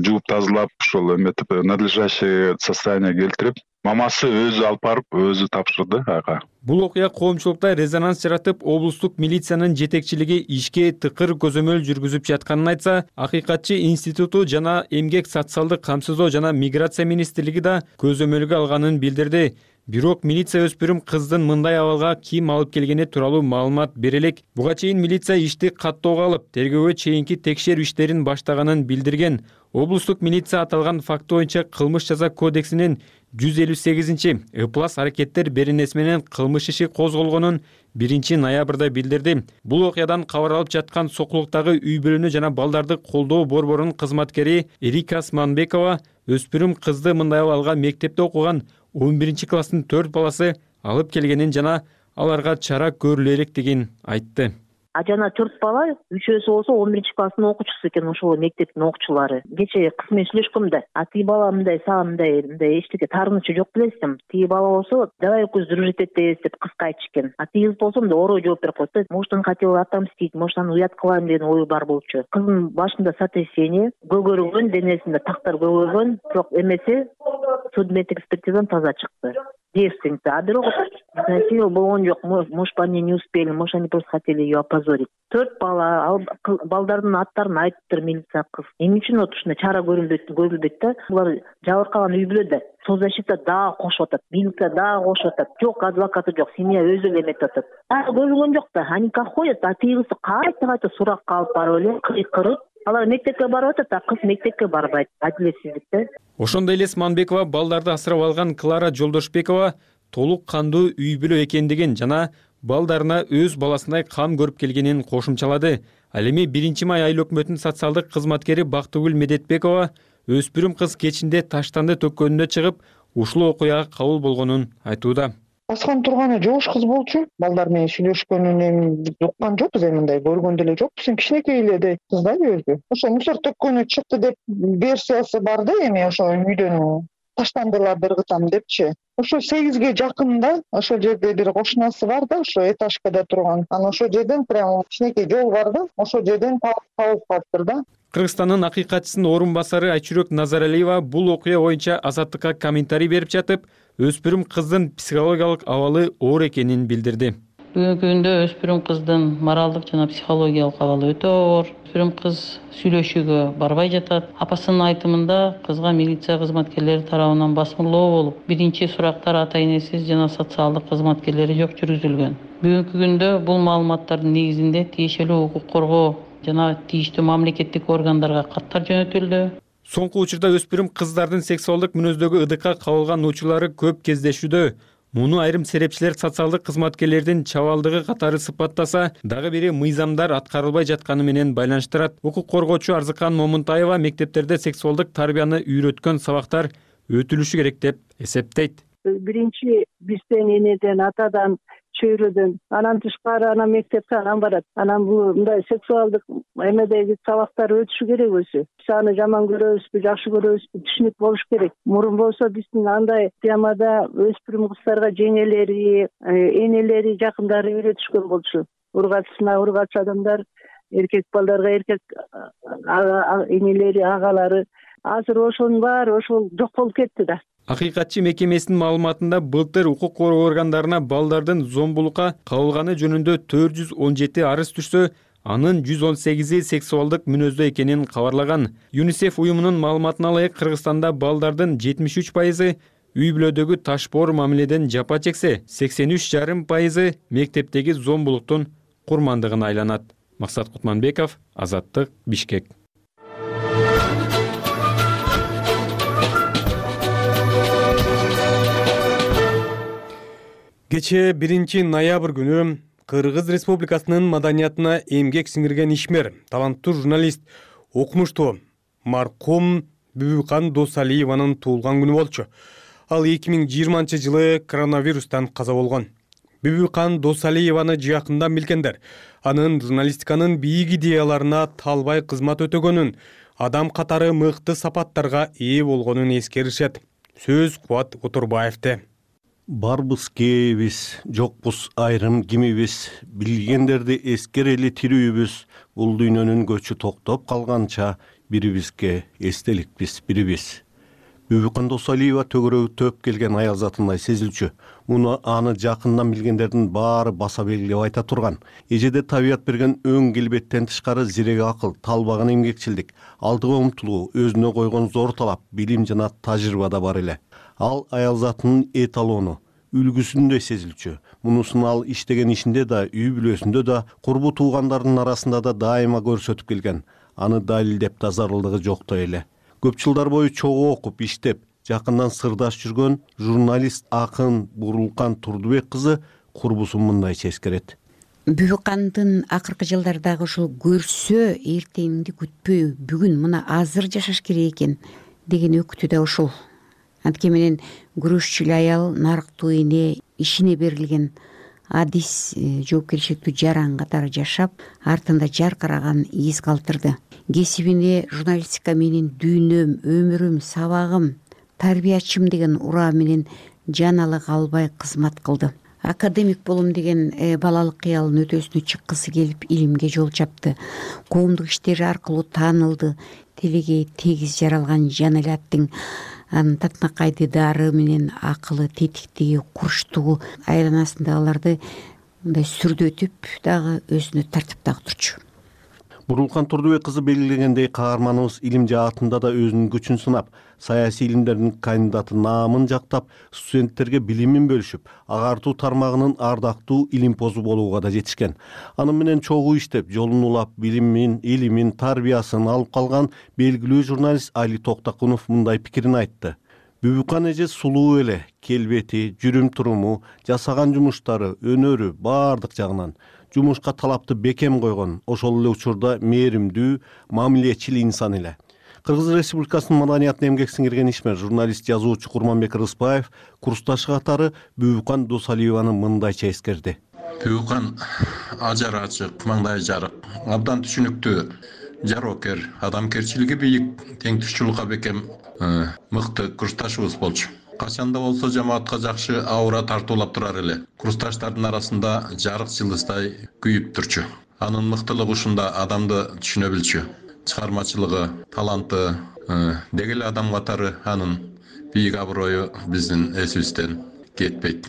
жууп тазалап, ошол эметип надлежащее состояние келтирип, мамасы өзү алып барып, өзү тапшырды ага. Бул окуя коомчулукта резонанс жаратып, облустук милициянын жетекчилиги ишке тыкыр көзөмөл жүргүзүп жатканын айтса, Акыйкатчы институту жана эмгек социалдык камсыздоо жана миграция министрлиги да көзөмөлгө алганын билдирди. Бирок милиция өспүрүм кыздын мындай абалга ким алып келгени тууралуу маалымат бере элек. Буга чейин милиция ишти каттоого алып, тергөөгө чейинки текшерүү иштерин баштаганын билдирген. Облустук милиция аталган факт боюнча кылмыш жаза кодексинин жүз элүү сегизинчи ыплас аракеттер беренеси менен кылмыш иши козголгонун биринчи ноябрда билдирди. Бул окуядан кабар алып жаткан Сокулуктагы үй бүлөнү жана балдарды колдоо борборунун кызматкери Эрика Османбекова өспүрүм кызды мындай абалга мектепте окуган он биринчи класстын төрт баласы алып келгенин жана аларга чара көрүлө электигин айтты. А жана төрт бала, үчөөсү болсо он биринчи класстын окуучусу экен, ошол мектептин окуучулары. Кечээ кыз менен сүйлөшкөм да. А тиги бала мындай сага мындай мындай эчтеке таарынычы жок белесиң. Тиги бала болсо давай көз дружить этебиз деп кызга айтышкен. А тиги кыз болсо мындай орой жооп берип койду. Может, он хотел отомстить, может, аны уят кылайын деген ою бар болчу. Кыздын башында сотрясение, көгөргөн, денесинде тактар көгөргөн, бирок эмеси судмеддик экспертизадан таза чыкты. Девственница, а бирок насилие болгон жок. Может, они не успели, может, они просто хотели ее опозорить. Төрт бала, балдардын аттарын айтыптыр милиция кыз. Эмне үчүн ушундай чара көрүлбөйт, көрүлбөйт да? Булар жабыркаган үй бүлөдө соцзащита дагы кошуп атат, милиция дагы кошуп атат. Жок, адвокаты жок, семья өзү эле эметип атат. А көрүлгөн жок да, они как ходят, а тигиси кайта-кайта суракка алып барып эле кыйкырып, алар мектепке барып атат, а кыз мектепке барбайт. Адилетсиздикте. Ошондой эле Османбекова балдарды асырап алган Клара Жолдошбекова толук кандуу үй бүлө экендигин жана балдарына өз баласындай кам көрүп келгенин кошумчалады. Ал эми биринчи май айыл өкмөтүнүн социалдык кызматкери Бактыгүл Медетбекова өспүрүм кыз кечинде таштанды төккөнүнө чыгып, ушул окуяга кабыл болгонун айтууда. Аскан турганы жош кыз болчу. Балдар менен сүйлөшкөнүн уккан жокпуз, эми мындай көргөн деле жокпуз. Кичинекей эле кыз да өзү. Ошо мусор төккөнү чыкты деп версиясы бар да, эми ошо үйдөн таштандылар бир кытам депчи. Ошо сегизге жакында ошол жерде бир кошунасы бар да, ошо этажкада турган. Анан ошол жерден прямо кичинекей жол бар да, ошол жерден табылып калыптыр да. Кыргызстандын акыйкатчысынын орун басары Айчүрөк Назаралиева бул окуя боюнча Азаттыкка комментарий берип жатып, өспүрүм кыздын психологиялык абалы оор экенин билдирди. Бүгүнкү күндө өспүрүм кыздын моралдык жана психологиялык абалы өтө оор. Өспүрүм кыз сүйлөшүүгө барбай жатат. Апасынын айтымында кызга милиция кызматкерлери тарабынан басмырлоо болуп, биринчи сурактар ата энесиз жана социалдык кызматкерлери жок жүргүзүлгөн. Бүгүнкү күндө бул маалыматтардын негизинде тиешелүү укук коргоо жана тийиштүү мамлекеттик органдарга каттар жөнөтүлдү. Соңку учурда өспүрүм кыздардын сексуалдык мүнөздөгү ыдыкка кабылган учурлары көп кездешүүдө. Муну айрым серепчилер социалдык кызматкерлердин чабалдыгы катары сыпаттаса, дагы бири мыйзамдар аткарылбай жатканы менен байланыштырат. Укук коргоочу Арзыкан Момунтаева мектептерде сексуалдык тарбияны үйрөткөн сабактар өтүлүшү керек деп эсептейт. Биринчи бизден, энеден, атадан, чөйрөдөн, анан тышкары анан мектепке анан барат. Анан бул мындай сексуалдык эмедеги сабактар өтүшү керек өзү. Биз аны жаман көрөбүзбү, жакшы көрөбүзбү, түшүнүк болуш керек. Мурун болсо биздин андай темада өспүрүм кыздарга жеңелери, энелери, жакындары үйрөтүшкөн болчу. Ургачсына ургач адамдар, эркек балдарга эркек энелери, агалары. Азыр ошонун баары ошол жок болуп кетти да. Акыйкатчы мекемесинин маалыматында былтыр укук коргоо органдарына балдардын зомбулукка кабылганы жөнүндө төрт жүз он жети арыз түшсө, анын жүз он сегизи сексуалдык мүнөздө экенин кабарлаган. ЮНИСЕФ уюмунун маалыматына ылайык Кыргызстанда балдардын жетимиш үч пайызы үй бүлөдөгү ташпоор мамиледен жапа чексе, сексен үч жарым пайызы мектептеги зомбулуктун курмандыгына айланат. Максат Кутманбеков, Азаттык, Бишкек. Кечээ биринчи ноябрь күнү Кыргыз Республикасынын маданиятына эмгек сиңирген ишмер, таланттуу журналист, окумуштуу маркум Бүбүкан Досалиеванын туулган күнү болчу. Ал эки миң жыйырманчы жылы коронавирустан каза болгон. Бүбүкан Досалиеваны жакындан билгендер анын журналистиканын бийик идеяларына талбай кызмат өтөгөнүн, адам катары мыкты сапаттарга ээ болгонун эскеришет. Сөз Кубат Отурбаевде. Барбыз кээбиз, жокпуз айрым кимибиз, билгендерди эскерели тирүүбүз, бул дүйнөнүн көчү токтоп калганча бирибизге эстеликпиз бирибиз. Бүбүкан Досалиева төгөрөгү төп келген аял затындай сезилчү. Муну аны жакындан билгендердин баары баса белгилеп айта турган. Эжеде табият берген өң келбеттен тышкары зирек акыл, талбаган эмгекчилдик, алдыга умтулуу, өзүнө койгон зор талап, билим жана тажрыйба да бар эле. Ал аял затынын эталону, үлгүсүндөй сезилчү. Мунусун ал иштеген ишинде да, үй бүлөсүндө да, курбу туугандарынын арасында да дайыма көрсөтүп келген. Аны далилдеп да зарылдыгы жоктой эле. Көп жылдар бою чогуу окуп, иштеп, жакындан сырдаш жүргөн журналист акын Бурулкан Турдубек кызы курбусун мындайча эскерет. Бүбүкандын акыркы жылдардагы ушул көрсө эртеңди күтпөй, бүгүн мына азыр жашаш керек экен деген өкүтү да ушул. Анткени менен күрөшчү аял, нарыктуу эне, ишине берилген адис, жоопкерчиликтүү жаран катары жашап, артында жаркыраган из калтырды. Кесибине журналистика менин дүйнөм, өмүрүм, сабагым, тарбиячым деген ураа менен жаналык албай кызмат кылды. Академик болом деген балалык кыялын өтөсүнө чыккысы келип илимге жол чапты. Коомдук иштери аркылуу таанылды. Телеге тегиз жаралган жан эле аттың анын татынакай дидары менен акылы, тетиктиги, курчтугу айланасындагыларды мындай сүрдөтүп дагы өзүнө тартиптагы турчу. Бурулкан Турдубек кызы белгилегендей, каарманыбыз илим жаатында да өзүнүн күчүн сынап, саясий илимдердин кандидаты наамын жактап, студенттерге билимин бөлүшүп, агартуу тармагынын ардактуу илимпозу болууга да жетишкен. Аны менен чогуу иштеп, жолун улап, билимин, илимин, тарбиясын алып калган белгилүү журналист Али Токтакунов мындай пикирин айтты. Бүбүкан эже сулуу эле, келбети, жүрүм туруму, жасаган жумуштары, өнөрү баардык жагынан жумушка талапты бекем койгон, ошол эле учурда мээримдүү, мамилечил инсан эле. Кыргыз Республикасынын маданиятына эмгек сиңирген ишмер журналист, жазуучу Курманбек Рыспаев курсташы катары Бүбүкан Досалиеваны мындайча эскерди. Бүбүкан ажары ачык, маңдайы жарык, абдан түшүнүктүү, жароокер, адамгерчилиги бийик, теңтүшчүлүкка бекем, мыкты курсташыбыз болчу. Качанда болсо жамаатка жакшы аура тартуулап турар эле. Курсташтардын арасында жарык жылдыздай күйүп турчу. Анын мыктылыгы ушунда адамды түшүнө билчү. Чыгармачылыгы, таланты, деги эле адам катары анын бийик аброю биздин эсибизден кетпейт.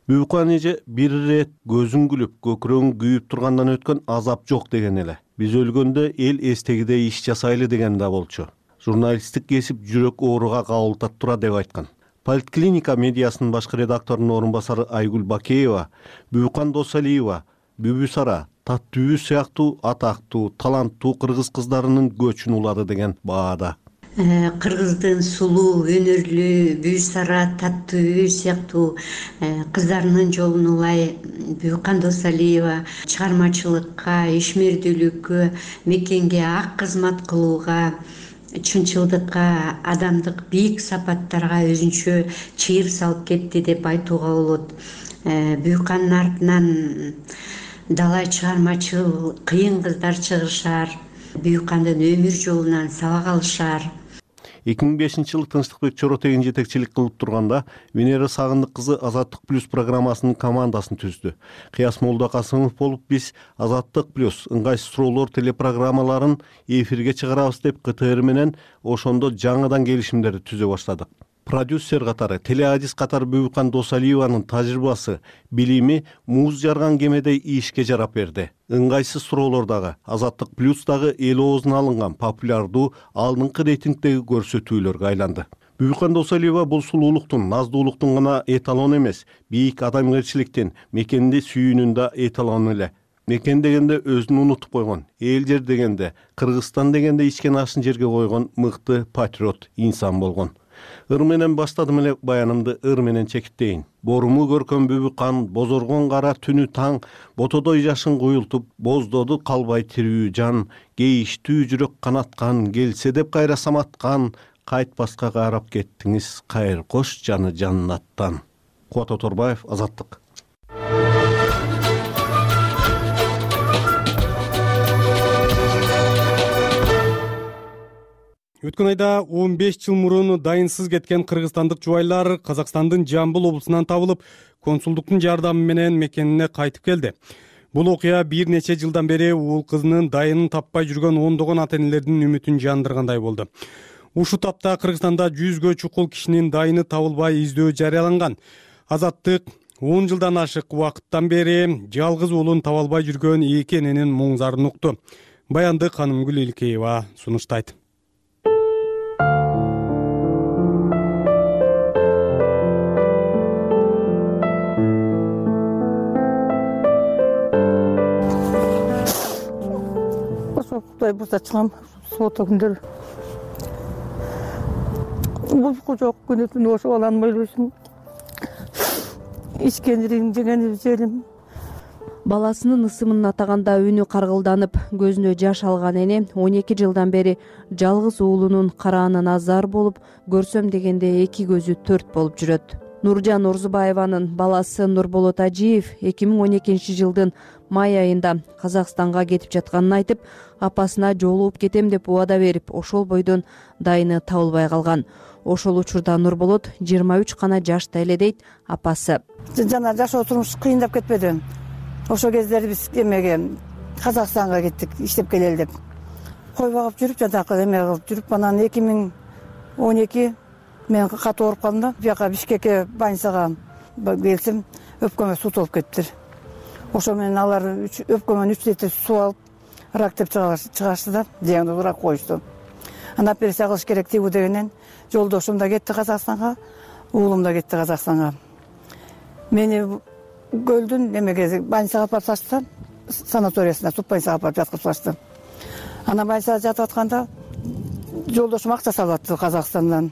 Бүбүкан эже бир ирет көзүн күлүп, көкүрөгүн күйүп тургандан өткөн азап жок деген эле. Биз өлгөндө эл эстегидей иш жасайлы деген да болчу. Журналисттик кесип жүрөк ооруга кабылтат тура деп айткан. Политклиника медиасынын башкы редакторунун орун басары Айгүл Бакеева, Бүбүкан Досалиева, Бүбүсара, Таттүбү сыяктуу атактуу, таланттуу кыргыз кыздарынын көчүн улады деген баада. кыргыздын сулуу өнөрлүү Бүү Сара, Таттуу үй сыяктуу кыздарынын жолун улай Бүкан Досалиева чыгармачылыкка, ишмердүүлүккө, мекенге ак кызмат кылууга, чынчылдыкка, адамдык бийик сапаттарга өзүнчө чыйыр салып кетти деп айтууга болот. Бүкандын артынан далай чыгармачыл кыйын кыздар чыгышар, Бүкандын өмүр жолунан сабак алышар. эки миң бешинчи жылы Тынчтыкбек Чоротегин жетекчилик кылып турганда Венера Сагындык кызы Азаттык плюс программасынын командасын түздү. Кыяс Молдокасымов болуп биз Азаттык плюс ыңгайсыз суроолор телепрограммаларын эфирге чыгарабыз деп КТР менен ошондо жаңыдан келишимдерди түзө баштадык. Продюсер катары, телеадис катары Бүкан Досалиеванын тажрыйбасы, билими муз жарган кемедей ишке жарап берди. Ыңгайсыз суроолордогу, Азаттык плюстагы эл оозуна алынган популярдуу алдыңкы рейтингдеги көрсөтүүлөргө айланды. Бүкан Досалиева бул сулуулуктун, наздуулуктун гана эталону эмес, бийик адамгерчиликтин, мекенди сүйүүнүн да эталону эле. Мекен дегенде өзүн унутуп койгон, эл жер дегенде, Кыргызстан дегенде ичкен ашын жерге койгон мыкты патриот инсан болгон. Ыр менен баштадым эле баянымды, ыр менен чекиттейин. Боруму көркөм Бүкан, бозоргон кара түнү таң, ботодой жашын куюлтуп, боздоду калбай тирүү жан, кейиштүү жүрөк канаткан, келсе деп кайра саматкан, кайтпаска карап кеттиңиз, кайыр кош жаны жаннаттан. Кубат Оторбаев, Азаттык. Өткөн айда он беш жыл мурун дайынсыз кеткен кыргызстандык жубайлар Казакстандын Жамбыл облусунан табылып, консулдуктун жардамы менен мекенине кайтып келди. Бул окуя бир нече жылдан бери уул кызынын дайынын таппай жүргөн ондогон ата энелердин үмүтүн жандыргандай болду. Ушул тапта Кыргызстанда жүзгө чукул кишинин дайыны табылбай издөө жарыяланган. Азаттык он жылдан ашык убакыттан бери жалгыз уулун таба албай жүргөн эки эненин муңзарын укту. Баянды Канымгүл Илкеева сунуштайт. Кудай бурса чыгам, соота күндөр. Бузку жок күнү түнү ошо баланы ойлойсуң. Ичкендирин жеген желим. Баласынын ысымын атаганда үнү каргылданып, көзүнө жаш алган эне он эки жылдан бери жалгыз уулунун караанын азар болуп, көрсөм дегенде эки көзү төрт болуп жүрөт. Нуржан Орзубаеванын баласы Нурболот Ажиев эки миң он экинчи жылдын май айында Казакстанга кетип жатканын айтып, апасына жолугуп кетем деп убада берип, ошол бойдон дайыны табылбай калган. Ошол учурда Нурболот жыйырма үч гана жашта эле дейт апасы. Жана жашоо турмуш кыйындап кетпеди. Ошол кездери биз эмеге Казакстанга кеттик, иштеп келели деп. Кой багып жүрүп, жанакы эме кылып жүрүп, анан эки миң он эки мен катуу ооруп калдым да, бияка Бишкекке больницага келсем, өпкөмө суу толуп кетиптир. Ошо менен алар өпкөмөн үч литр суу алып, рак деп чыгашты да, диагноз рак коюшту. Анан операция кылыш керек тигүү дегенен жолдошум да кетти Казакстанга, уулум да кетти Казакстанга. Мени көлдүн эмеге больницага алып барышты, санаториясына, туп больницага алып жаткызышты. Анан больницада жатып атканда жолдошум акча салып атты Казакстандан.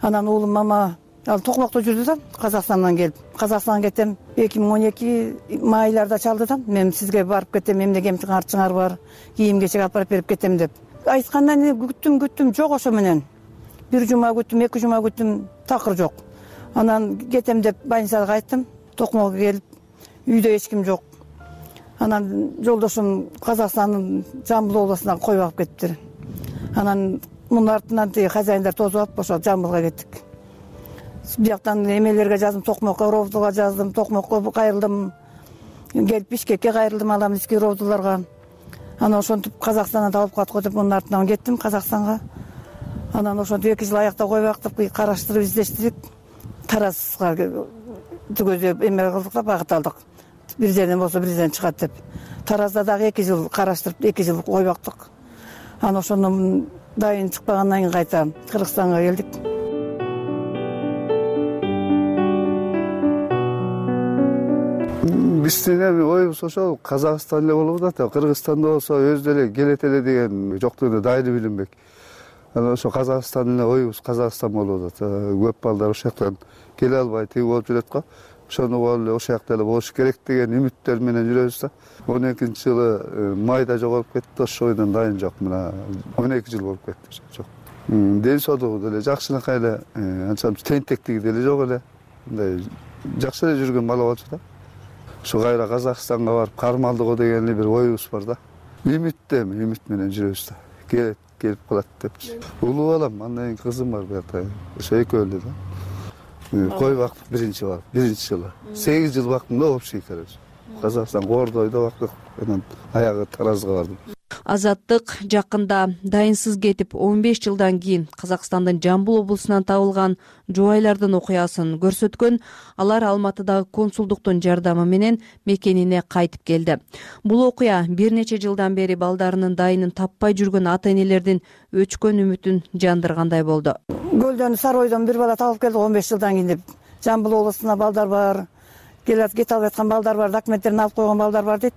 Анан уулум мама ал Токмокто жүрдү да, Казакстандан келип. Казакстанга кетем, эки миң он эки майларда чалды да, мен сизге барып кетем, эмне арчыңар бар, кийим кечек алып барып берип кетем деп. Айткандан кийин күттүм, күттүм, жок ошо менен. Бир жума күттүм, эки жума күттүм, такыр жок. Анан кетем деп больницага кайттым, Токмокко келип, үйдө эч ким жок. Анан жолдошум Казакстандын Жамбыл областына кой багып кетиптир. Анан мунун артынан тиги хозяиндар тосуп алып, ошо Жамбылга кеттик. Бияктан эмелерге жаздым, Токмокко, Ровдуга жаздым, Токмокко кайрылдым. Келип Бишкекке кайрылдым, Аламиский Ровдуларга. Анан ошентип Казакстандан табылып калат го деп, мунун артынан кеттим Казакстанга. Анан ошентип эки жыл аякта кой бактып, караштырып издештирик. Таразга түгөзүп эме кылдык да, багыт алдык. Бир жерден болсо бир жерден чыгат деп. Таразда дагы эки жыл караштырып, эки жыл кой бактык. Анан ошондон дайын чыкпагандан кийин кайта Кыргызстанга келдик. Биздин эми оюбуз ошол Казакстан эле болуп атат. Кыргызстанда болсо өзү эле келет эле деген жоктугуна дайыны билинбек. анан ошо Казакстан эле оюбуз Казакстан болуп атат. Көп балдар ошол жактан келе албай тиги болуп жүрөт го. Ошону болуп эле ошол жакта эле болуш керек деген үмүттөр менен жүрөбүз да. он экинчи жылы майда жоголуп кетти, ошол бойдон дайын жок. Мына он эки жыл болуп кетти. Жок. Ден соолугу деле жакшынакай эле, анча тентектиги деле жок эле. Мындай жакшы эле жүргөн бала болчу да. Ушу кайра Казакстанга барып кармалдыгы деген эле бир оюбуз бар да. Үмүттөм, үмүт менен жүрөбүз да. Келет, келип калат депчи. Улуу балам, андан кийин кызым бар буякта. Ошо экөө эле да. Кой бактык биринчи бар, биринчи жылы. сегиз жыл бактым да общий короче. Казакстан Кордойдо бактык, анан аягы Таразга бардым. Азаттык жакында дайынсыз кетип он беш жылдан кийин Казакстандын Жамбыл облусунан табылган жубайлардын окуясын көрсөткөн. Алар Алматыдагы консулдуктун жардамы менен мекенине кайтып келди. Бул окуя бир нече жылдан бери балдарынын дайынын таппай жүргөн ата энелердин өчкөн үмүтүн жандыргандай болду. Көлдөн Саройдон бир бала табылып келди он беш жылдан кийин деп. Жамбыл облусунда балдар бар, келет кете албай аткан балдар бар, документтерин алып койгон балдар бар дейт.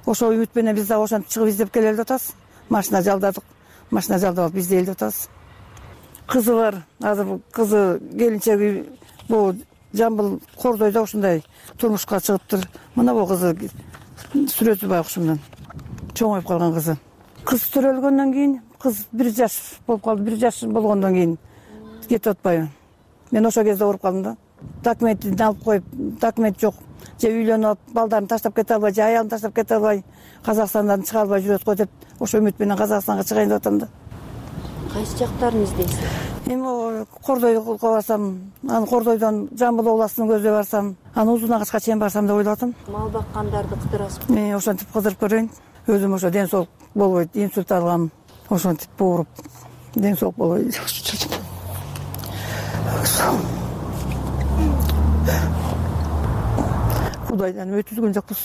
Ошол үмүт менен биз дагы ошентип чыгып издеп келе атабыз. Машина жалдадык. Машина жалдап алып бизде элдеп атабыз. Кызы бар. Азыр кызы келинчеги бул Жамбыл Кордойдо ушундай турмушка чыгыптыр. Мына бул кызы сүрөтү байкушумдан чоңоюп калган кызы. Кыз төрөлгөндөн кийин, кыз бир жаш болуп калды. бир жаш болгондон кийин кетип атпайбы. Мен ошол кезде ооруп калдым да. Документин алып коюп, документ жок. Же үйлөнүп алып, балдарын таштап кете албай, же аялын таштап кете албай, Казакстандан чыга албай жүрөт го деп, ошо үмүт менен Казакстанга чыгайын деп атам да. Кайсы жактарын издейсиз? Эми Кордойго барсам, анан Кордойдон Жамбыл областынын көздөй барсам, анан Узун Агачка чейин барсам деп ойлоп атам. Мал баккандарды кыдырасызбы? Мен ошентип кыдырып көрөйүн. Өзүм ошо ден соолук болбойт, инсульт алгам, ошентип ооруп, ден соолук болбойт. Кудайдан өтүлгөн жокпуз.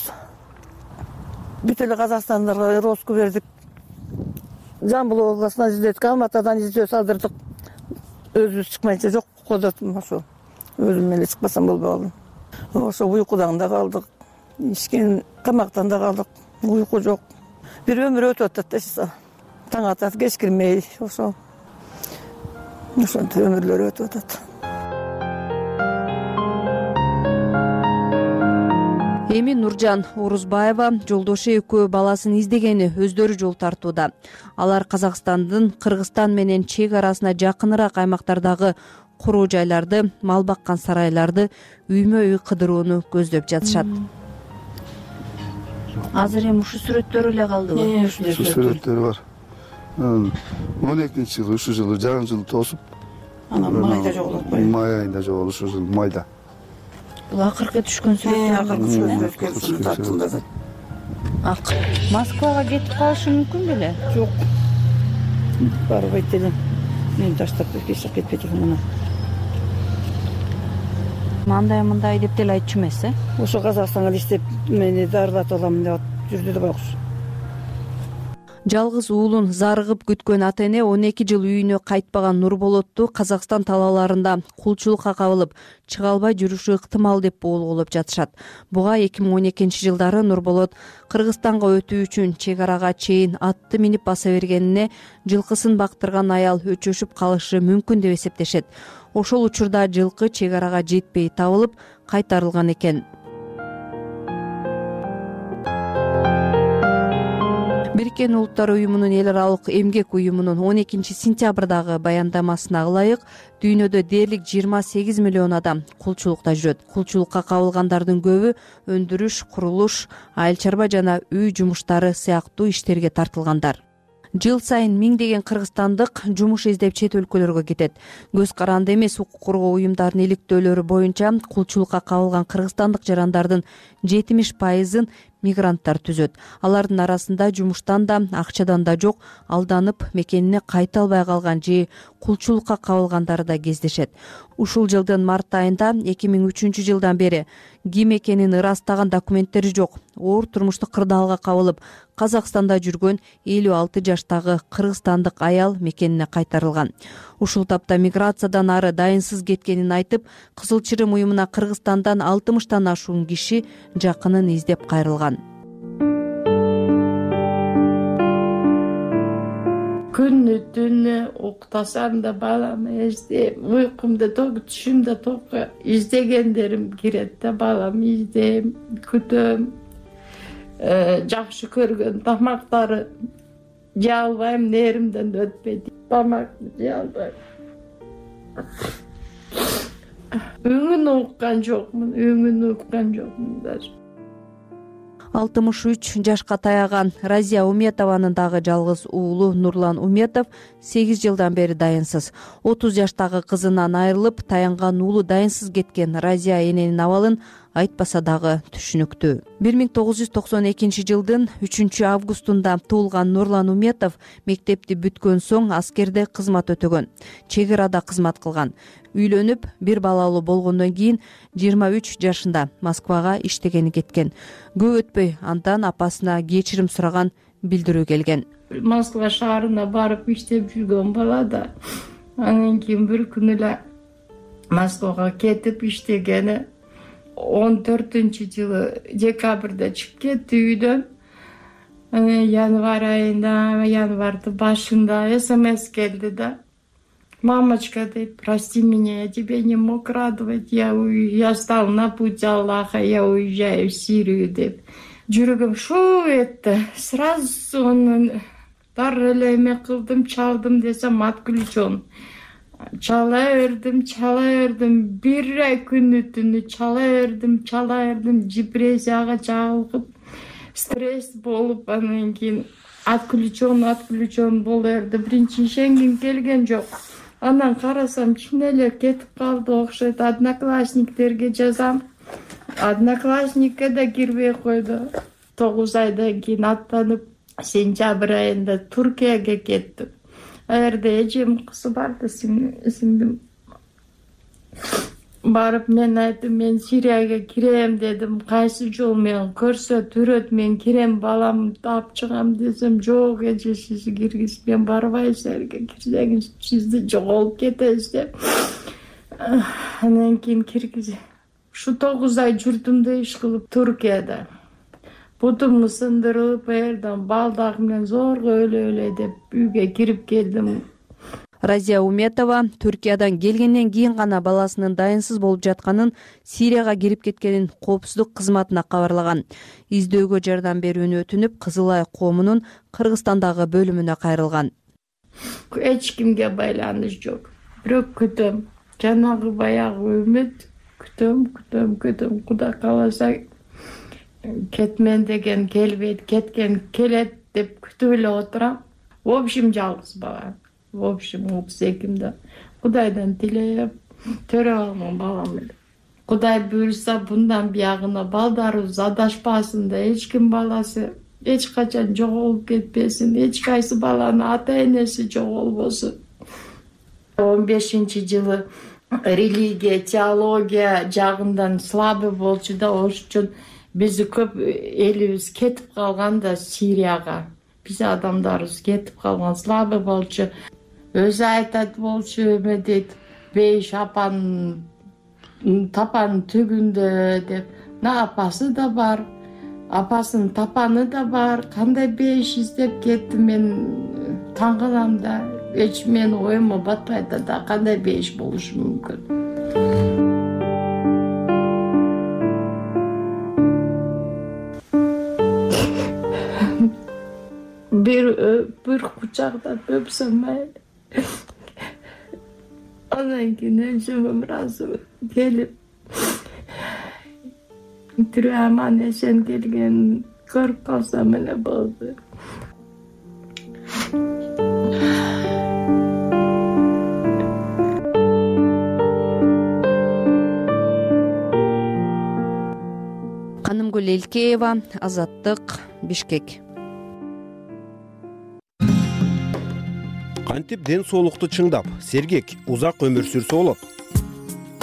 Бүт эле Казакстандарга розыску бердик. Жамбыл областынан издедик, Алматыдан издөө салдырдык. Өзүбүз чыкмайынча жок кодотум ошо. Өзүм эле чыкпасам болбой калдым. Ошо уйкудан да калдык. Ичкен камактан да калдык. Уйку жок. Бир өмүр өтүп атат да. Таң атат, кеч кирмей ошо. Ошентип өмүрлөр өтүп атат. Эми Нуржан Орузбаева жолдошу экөө баласын издегени өздөрү жол тартууда. Алар Казакстандын Кыргызстан менен чек арасына жакыныраак аймактардагы куруу жайларды, мал баккан сарайларды үймө үй кыдырууну көздөп жатышат. Азыр эми ушул сүрөттөр эле калдыбы? Ушул сүрөттөр бар. он экинчи жылы, ушул жылы жарым жыл тосуп, анан майда жоголуп атпайбы? Май айында жоголуп, ушул жыл майда. Бул акыркы түшкөн сүрөттөр. Акыркы сүрөттөр тартылды. Ак. Москвага кетип калышы мүмкүн беле? Жок. Барбайт элем. Мен таштап эч жак кетпейт элем мына. Мындай мындай деп деле айтчу эмес, э? Ошо Казакстанга иштеп мени дарылатып алам деп жүрдү да байкуш. Жалгыз уулун зарыгып күткөн ата эне он эки жыл үйүнө кайтпаган Нурболотту Казакстан талааларында кулчулукка кабылып чыга албай жүрүшү ыктымал деп болгуулоп жатышат. Буга эки миң он экинчи жылдары Нурболот Кыргызстанга өтүү үчүн чек арага чейин атты минип баса бергенине жылкысын бактырган аял өчөшүп калышы мүмкүн деп эсептешет. Ошол учурда жылкы чек арага жетпей табылып кайтарылган экен. Бириккен Улуттар уюмунун эл аралык эмгек уюмунун он экинчи сентябрдагы баяндамасына ылайык дүйнөдө дээрлик жыйырма сегиз миллион адам кулчулукта жүрөт. Кулчулукка кабылгандардын көбү өндүрүш, курулуш, айыл чарба жана үй жумуштары сыяктуу иштерге тартылгандар. Жыл сайын миңдеген кыргызстандык жумуш издеп чет өлкөлөргө кетет. Көз каранды эмес укук коргоо уюмдарынын иликтөөлөрү боюнча кулчулукка кабылган кыргызстандык жарандардын жетимиш пайызын мигранттар түзөт. Алардын арасында жумуштан да, акчадан да жок, алданып мекенине кайта албай калган же кулчулукка кабылгандары да кездешет. Ушул жылдын март айында эки миң үчүнчү жылдан бери ким экенин ырастаган документтери жок, оор турмуштук кырдаалга кабылып, Казакстанда жүргөн элүү алты жаштагы кыргызстандык аял мекенине кайтарылган. Ушул тапта миграциядан ары дайынсыз кеткенин айтып, Кызыл Чырым уюмуна Кыргызстандан алтымыштан ашуун киши жакынын издеп кайрылган. күнү түнү уктасам да баламды издейм, уйкумда ток, түшүмдө ток издегендерим кирет да баламды издейм, күтөм. Жакшы көргөн тамактары жей албайм, неримден өтпөйт. Тамакты жей албайм. Өңүн уккан жокмун, өңүн уккан жокмун даже. алтымыш үч жашка таяган Разия Уметованын дагы жалгыз уулу Нурлан Уметов сегиз жылдан бери дайынсыз. отуз жаштагы кызынан айрылып, таянган уулу дайынсыз кеткен Разия эненин абалын айтпаса дагы түшүнүктүү. бир миң тогуз жүз токсон экинчи жылдын үчүнчү августунда туулган Нурлан Уметов мектепти бүткөн соң аскерде кызмат өтөгөн, чек арада кызмат кылган. Үйлөнүп, бир балалуу болгондон кийин жыйырма үч жашында Москвага иштегени кеткен. Көп өтпөй андан апасына кечирим сураган билдирүү келген. Москва шаарына барып иштеп жүргөн бала да, анан кийин бир күнү эле Москвага кетип иштегени. он төртүнчү жылы декабрда чыгып кетти үйдөн. Январь айында, январдын башында смс келди да. Мамочка, дейт, прости меня, я тебя не мог радовать, я, я стал на путь Аллаха, я уезжаю в Сирию, деп. Жүрөгүм шу этти. Сразу онун дарылы эле эме кылдым, чалдым десем отключен. Чала бердим, чала бердим, бир ай күнү түнү чала бердим, чала бердим, депрессияга чалгып, стресс болуп, анан кийин отключен, отключен боло берди. Биринчи ишенгим келген жок. Анан карасам, чын эле кетип калды окшойт. Одноклассниктерге жазам. Одноклассникке да кирбей койду. тогуз айдан кийин аттанып, сентябрь айында Туркияга кеттим. Ал жерде эжем кызы бар да, сиңдим. Барып мен айттым, мен Сирияга кирем дедим. Кайсы жол менен көрсөт, үрөт, мен кирем, баламды алып чыгам десем, жок эже, сиз киргиз, мен барбайсыз, жерге кирсеңиз сизди жоголуп кетебиз деп. Анан кийин киргиз. Ушу тогуз ай жүрдүм да иш кылып Туркияда. Бутум сындырылып, жерден балдак менен зорго өлө-өлө деп үйгө кирип келдим. Разия Уметова Түркиядан келгенден кийин гана баласынын дайынсыз болуп жатканын, Сирияга кирип кеткенин коопсуздук кызматына кабарлаган. Издөөгө жардам берүүнү өтүнүп, Кызыл Ай коомунун Кыргызстандагы бөлүмүнө кайрылган. Эч кимге байланыш жок. Бирок күтөм. Жанагы баягы үмүт, күтөм, күтөм, күтөм. Кудай кааласа кетмен деген келбейт, кеткен келет деп күтүп эле отурам. В общем, жалгыз бала. В общем, отуз экимде Кудайдан тилеп төрөп алган балам эле. Кудай буйрса, bundan биягына балдарыбыз адашпасын да, эч ким баласы эч качан жоголуп кетпесин, эч кайсы баланын ата-энеси жоголбосун. он бешинчи жылы религия, теология жагынан слабый болчу да, ошон үчүн биз көп элибиз кетип калган да Сирияга. Биз адамдарыбыз кетип калган, слабый болчу. Өзү айтат болчу, эме дейт, бейиш апанын тапанын түгүндө деп. На апасы да бар, апасынын тапаны да бар. Кандай бейиш издеп кетти, мен таң калам да. Эч менин оюма батпайт да, кандай бейиш болушу мүмкүн. Бир бир кучактап өпсөм майли. Анан кийин өзүм ыраазымын келип, тирүү аман эсен келген көрүп калсам эле болду. Канымгүл Элкеева, Азаттык, Бишкек. Кантип ден соолукту чыңдап, сергек, узак өмүр сүрсө болот?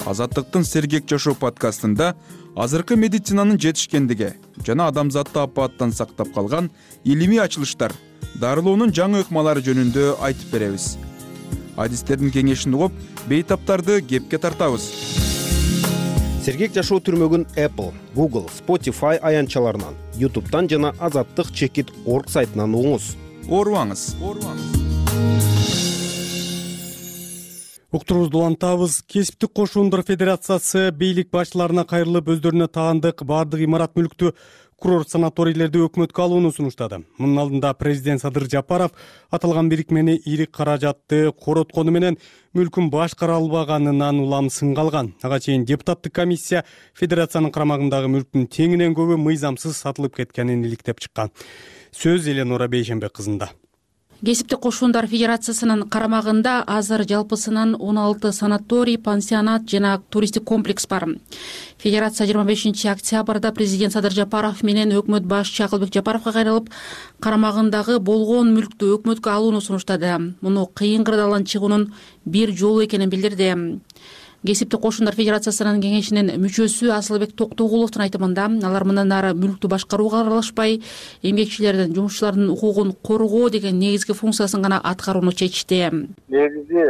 Азаттыктын Сергек жашоо подкастында азыркы медицинанын жетишкендиги жана адамзатты апааттан сактап калган илимий ачылыштар, дарылоонун жаңы ыкмалары жөнүндө айтып беребиз. Адистердин кеңешин угуп, бейтаптарды кепке тартабыз. Сергек жашоо түрмөгүн Apple, Google, Spotify аянтчаларынан, YouTube'дан жана азаттык чекит точка орг сайтынан угуңуз. Оорубаңыз. уктурубузду улантабыз. Кесиптик кошундар федерациясы бийлик башчыларына кайрылып өздөрүнө таандык баардык имарат мүлктү курорт санаторийлерди өкмөткө алууну сунуштады. Мунун алдында президент Садыр Жапаров аталган бирикмени ийрик каражатты короткону менен мүлкүн башкара албаганынан улам сынга алган. Ага чейин депутаттык комиссия федерациянын карамагындагы мүлктүн теңинен көбү мыйзамсыз сатылып кеткенин иликтеп чыккан. Сөз Эленора Бейшенбек кызында. Кесиптик кошундар федерациясынын карамагында азыр жалпысынан он алты санаторий, пансионат жана туристтик комплекс бар. Федерация жыйырма бешинчи октябрда президент Садыр Жапаров менен өкмөт башчы Акылбек Жапаровго кайрылып, карамагындагы болгон мүлктү өкмөткө алууну сунуштады. Муну кыйын кырдаалдан чыгуунун бир жолу экенин билдирди. Кесиптик кошундар федерациясынын кеңешинин мүчөсү Асылбек Токтогуловдун айтымында, алар мындан ары мүлктү башкарууга аралашпай, эмгекчилердин, жумушчулардын укугун коргоо деген негизги функциясын гана аткарууну чечти. Негизи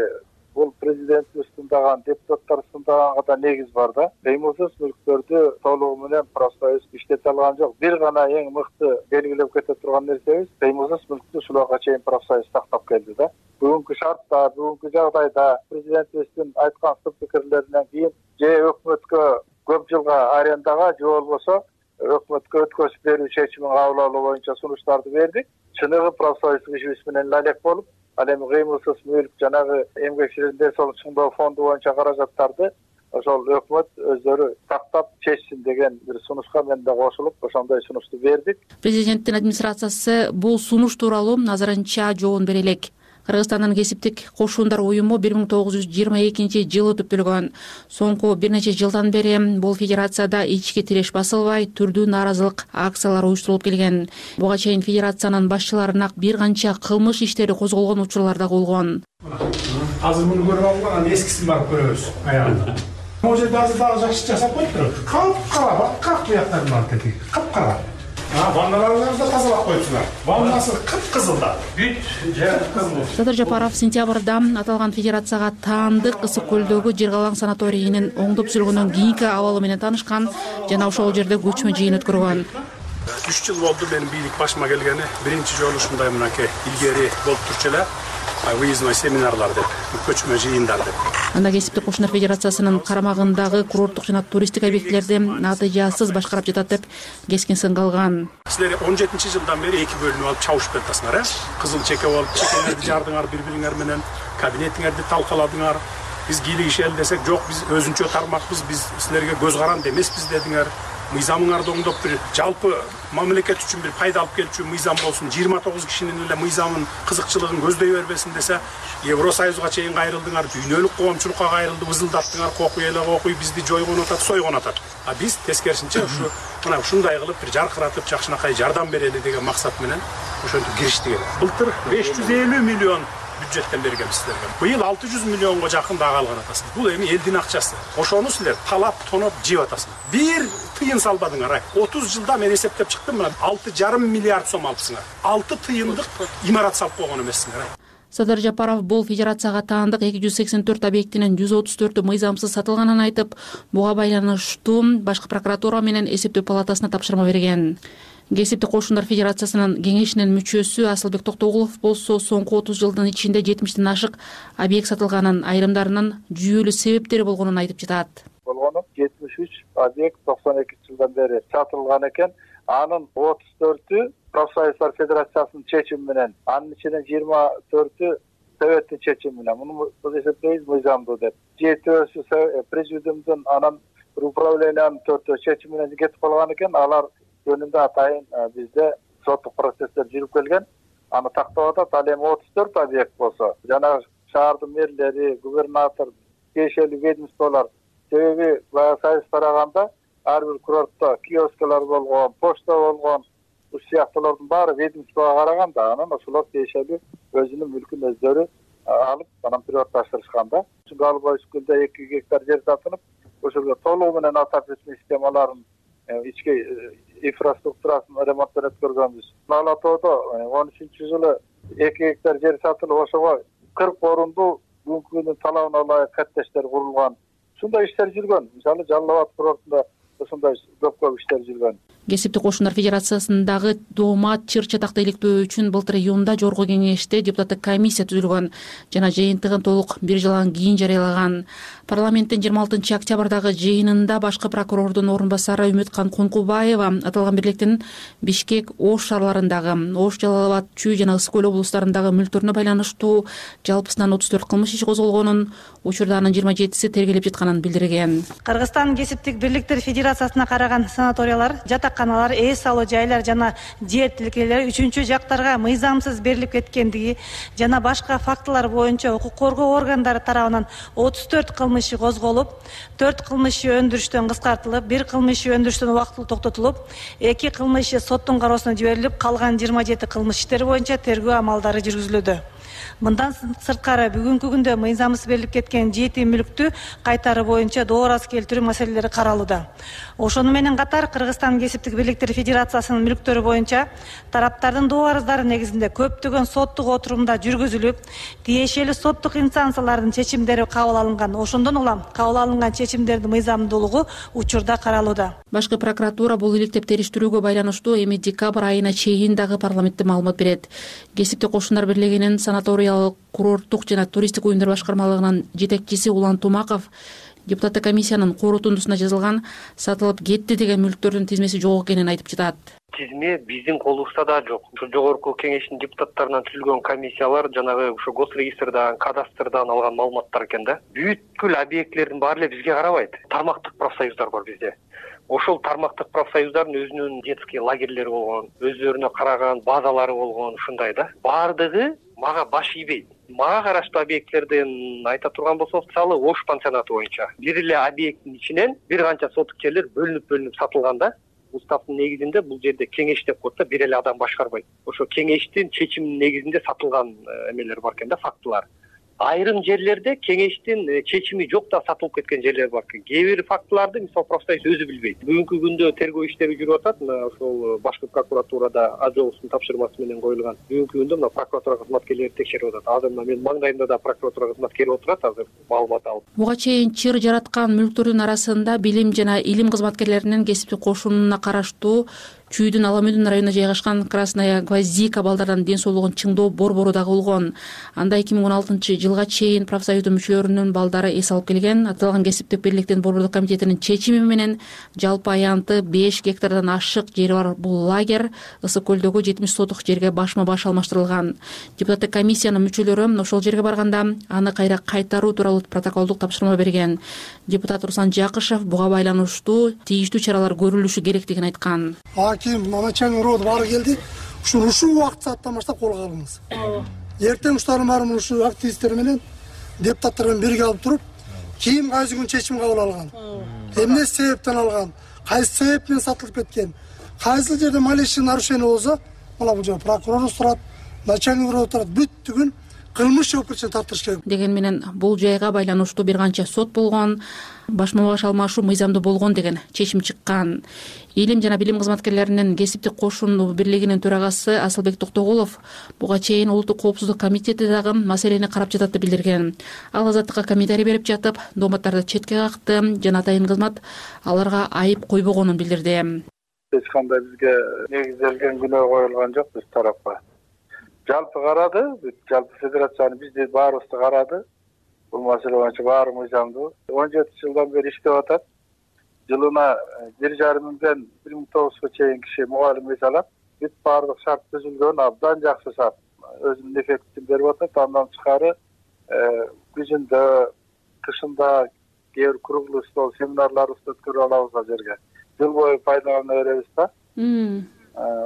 бул президент устундаган, депутаттар устундаганга да негиз бар да. Кыймылсыз мүлктөрдү толугу менен профсоюз иштете алган жок. Бир гана эң мыкты белгилеп кете турган нерсебиз кыймылсыз мүлктү ушуларга чейин профсоюз сактап келди да. Бүгүнкү шартта, бүгүнкү жагдайда президентибиздин айткан сын пикирлеринен кийин же өкмөткө көп жылга арендага, же болбосо өкмөткө өткөзүп берүү чечимин кабыл алуу боюнча сунуштарды бердик. Чыныгы профсоюздук ишибиз менен алек болуп, ал эми кыймылсыз мүлк, жанагы эмгекчилердин ден соолук чыңдоо фонду боюнча каражаттарды ошол өкмөт өздөрү тактап чечсин деген бир сунушка мен да кошулуп, ошондой сунушту бердик. Президенттин администрациясы бул сунуш тууралуу азырынча жообун бере элек. Кыргызстандын кесиптик кошундар уюму бир миң тогуз жүз жыйырма экинчи жылы түптөлгөн. Соңку бир нече жылдан бери бул федерацияда ички тиреш басылбай, түрдүү нааразылык акциялары уюштурулуп келген. Буга чейин федерациянын башчыларына бир канча кылмыш иштери козголгон учурлар да болгон. Азыр муну көрүп алган, эскисин барып көрөбүз аягында. Могу жерде азыр дагы жакшы жасап коюптур. Капкара, бак буяктарын барып кетти. Капкара. Ванналарыңызды да тазалап коюпсуңар. Ваннасы кып-кызыл да. Бүт жер кызыл. Садыр Жапаров сентябрда аталган федерацияга таандык Ысык көлдөгү Жыргалаң санаторийинин оңдо түзүлгөндөн кийинки абалы менен таанышкан жана ошол жерде көчмө жыйын өткөргөн. үч жыл болду менин бийлик башыма келгени. Биринчи жолу ушундай мынакей илгери болуп турчу эле. Выездной семинарлар деп, көчмө жыйындар деп. Анда кесиптик кошундар федерациясынын карамагындагы курорттук жана туристтик объектилерди натыйжасыз башкарып жатат деп кескин сынга алган. Силер он жетинчи жылдан бери эки бөлүнүп алып чабышып жатасыңар, э? Кызыл чеке болуп, чекеңерди жардыңар бири-бириңер менен, кабинетиңерди талкаладыңар. Биз кийлигишели десек, жок, биз өзүнчө тармакпыз, биз силерге көз каранды эмеспиз дедиңер. Мыйзамыңарды оңдоп бир жалпы мамлекет үчүн бир пайда алып келчү мыйзам болсун. жыйырма тогуз кишинин эле мыйзамын, кызыкчылыгын көздөй бербесин десе, Евросоюзга чейин кайрылдыңар, дүйнөлүк коомчулукка кайрылды, ызылдаттыңар, кокуй эле кокуй, бизди жойгон атат, сойгон атат. А биз тескерисинче ушу мына ушундай кылып бир жаркыратып, жакшынакай жардам берели деген максат менен ошентип кириштик эле. Былтыр беш жүз элүү миллион бюджеттен бергенбиз силерге. Быйыл алты жүз миллионго жакын дагы алган атасың. Бул эми элдин акчасы. Ошону силер талап, тоноп жеп атасың. Бир тыйын салбадыңар. отуз жылда мен эсептеп чыктым, мына алты жарым миллиард сом алыпсыңар. алты тыйындык имарат салып койгон эмессиңер. Садыр Жапаров бул федерацияга таандык эки жүз сексен төрт объектинин жүз отуз төртү мыйзамсыз сатылганын айтып, буга байланыштуу башкы прокуратура менен эсептөө палатасына тапшырма берген. Кесиптик кошундар федерациясынын кеңешинин мүчөсү Асылбек Токтогулов болсо соңку отуз жылдын ичинде жетимиштен ашык объект сатылганын, айрымдарынын жүйөлүү себептери болгонун айтып жатат. Болгону жетимиш үч объект токсон экинчи жылдан бери сатылган экен. Анын отуз төртү профсоюздар федерациясынын чечими менен, анын ичинен жыйырма төртү советтин чечими менен. Муну биз эсептейбиз мыйзамдуу деп. жетөөсү президиумдун, анан управлениянын төртөө чечими менен кетип калган экен. Алар жөнүндө атайын бизде соттук процесстер жүрүп келген. Аны тактап атат. Ал эми отуз төрт объект болсо, жана шаардын мэрлери, губернатор, тиешелүү ведомстволор, себеби баягы союз тараганда ар бир курортто киоскалар болгон, почта болгон, уш сыяктуулардын баары ведомствого караган да, анан ошолор тиешелүү өзүнүн мүлкүн өздөрү алып, анан приватташтырышкан да. Галбай Скулда эки гектар жер сатылып, ошолго толугу менен отопление системаларын, ички инфраструктурасын ремонттон өткөргөнбүз. Ала тоодо он үчүнчү жылы эки гектар жер сатылып, ошого кырк орунду бүгүнкү күндүн талабына ылайык коттедждер курулган. Ушундай иштер жүргөн. Мисалы, Жалал Абад курортунда ушундай көп көп иштер жүргөн. кесиптик кошундар федерациясындагы доомат чыр чатакты иликтөө үчүн былтыр июнда жогорку кеңеште депутаттык комиссия түзүлгөн жана жыйынтыгын толук бир жылдан кийин жарыялаган. Парламенттин жыйырма алтынчы октябрдагы жыйынында башкы прокурордун орун басары Үмүткан Конкубаева аталган бирликтин Бишкек, Ош шаарларындагы, Ош, Жалал Абад, Чүй жана Ысык көл облустарындагы мүлктөрүнө байланыштуу жалпысынан отуз төрт кылмыш иши козголгонун, учурда анын жыйырма жетиси тергелеп жатканын билдирген. Кыргызстан кесиптик бирликтер федерациясына караган санаториялар, жатаканалар, эс алуу жайлар жана жер тилкелери үчүнчү жактарга мыйзамсыз берилип кеткендиги жана башка фактылар боюнча укук коргоо органдары тарабынан отуз төрт кылмыш иши козголуп, төрт кылмыш иши өндүрүштөн кыскартылып, бир кылмыш иши өндүрүштөн убактылуу токтотулуп, эки кылмыш иши соттун кароосуна жиберилип, калган жыйырма жети кылмыш иштери боюнча тергөө амалдары жүргүзүлүүдө. Мындан сырткары бүгүнкү күндө мыйзамсыз берилип кеткен жети мүлктү кайтаруу боюнча доор аз келтирүү маселелери каралууда. Ошону менен катар Кыргызстан кесиптик бирликтер федерациясынын мүлктөрү боюнча тараптардын доо арыздары негизинде көптөгөн соттук отурумдар жүргүзүлүп, тиешелүү соттук инстанциялардын чечимдери кабыл алынган. Ошондон улам кабыл алынган чечимдердин мыйзамдуулугу учурда каралууда. Башкы прокуратура бул иликтеп териштирүүгө байланыштуу эми декабрь айына чейин дагы парламентте маалымат берет. Кесиптик кошундар бирлигинин санаториялык, курорттук жана туристтик уюмдар башкармалыгынын жетекчиси Улан Тумаков депутаттык комиссиянын корутундусуна жазылган сатылып кетти деген мүлктөрдүн тизмеси жок экенин айтып жатат. Тизме биздин колубузда да жок. Ушу жогорку кеңештин депутаттарынан түзүлгөн комиссиялар жанагы ушу госрегистрдан, кадастрдан алган маалыматтар экен да. Бүткүл объектилердин баары эле бизге карабайт. Тармактык профсоюздар бар бизде. Ошол тармактык профсоюздардын өзүнүн детский лагерлери болгон, өздөрүнө караган базалары болгон, ушундай да. Баардыгы мага баш ийбейт. Мага караштуу объектилерден айта турган болсок, мисалы Ош пансионаты боюнча бир эле объекттин ичинен бир канча сотук жерлер бөлүнүп-бөлүнүп сатылган да. Уставдын негизинде бул жерде кеңеш деп коет да, бир эле адам башкарбайт. Ошо кеңештин чечиминин негизинде сатылган эмелер бар экен да, фактылар. Айрым жерлерде кеңештин чечими жок да сатылып кеткен жерлер бар экен. Кээ бир фактыларды мисалы профсоюз өзү билбейт. Бүгүнкү күндө тергөө иштери жүрүп атат. Мына ошол башкы прокуратурада Ажоовдун тапшырмасы менен коюлган. Бүгүнкү күндө мына прокуратура кызматкерлери текшерип атат. Азыр мына менин маңдайымда да прокуратура кызматкери отурат, азыр маалымат алып. Буга чейин чыр жараткан мүлктөрдүн арасында билим жана илим кызматкерлеринин кесиптик кошунуна караштуу Чүйдүн Аламүдүн районунда жайгашкан Красная Гвоздика балдардын ден соолугун чыңдоо борбору дагы болгон. Анда эки миң он алтынчы жылга чейин профсоюздун мүчөлөрүнүн балдары эс алып келген. Аталган кесиптик бирликтин борбордук комитетинин чечими менен жалпы аянты беш гектардан ашык жери бар бул лагерь Ысык көлдөгү жетимиш сотук жерге башма баш алмаштырылган. Депутаттык комиссиянын мүчөлөрү ошол жерге барганда аны кайра кайтаруу тууралуу протоколдук тапшырма берген. Депутат Руслан Жакышев буга байланыштуу тийиштүү чаралар көрүлүшү керектигин айткан. Аким, начальник рода бары келди. Ушуну ушул убакыт сааттан баштап колго алыңыз. Эртең уштарын баарын ушу активисттер менен депутаттар менен бирге алып туруп, ким кайсы күн чечим кабыл алган, эмне себептен алган, кайсы себеп менен сатылып кеткен, кайсы жерде малейший нарушение болсо, мына бул жер прокурор турат, начальник рода турат, бүттүгүн кылмыш жоопкерчиликке тартыш керек. Деген менен бул жайга байланыштуу бир канча сот болгон, башма баш алмашуу мыйзамдуу болгон деген чечим чыккан. Илим жана билим кызматкерлеринин кесиптик кошун бирлигинин төрагасы Асылбек Токтогулов буга чейин Улуттук коопсуздук комитети дагы маселени карап жатат деп билдирген. Ал азаттыкка комментарий берип жатып, дооматтарды четке какты жана атайын кызмат аларга айып койбогонун билдирди. Эч кандай бизге негизделген күнөө коюлган жок биз тарапка. Жалпы карады, жалпы федерацияны бизди баарыбызды карады. Бул маселе боюнча баары мыйзамдуу. он жети жылдан бери иштеп атат. Жылына бир жарым миңден бир миң тогузга чейин киши мугалим эс алат. Бүт баардык шарт түзүлгөн, абдан жакшы шарт. Өзүнүн эффектин берип атат. Андан тышкары күзүндө, кышында кээ бир круглый стол семинарларыбызды өткөрүп алабыз ал жерге. Жыл бою пайдалана беребиз да.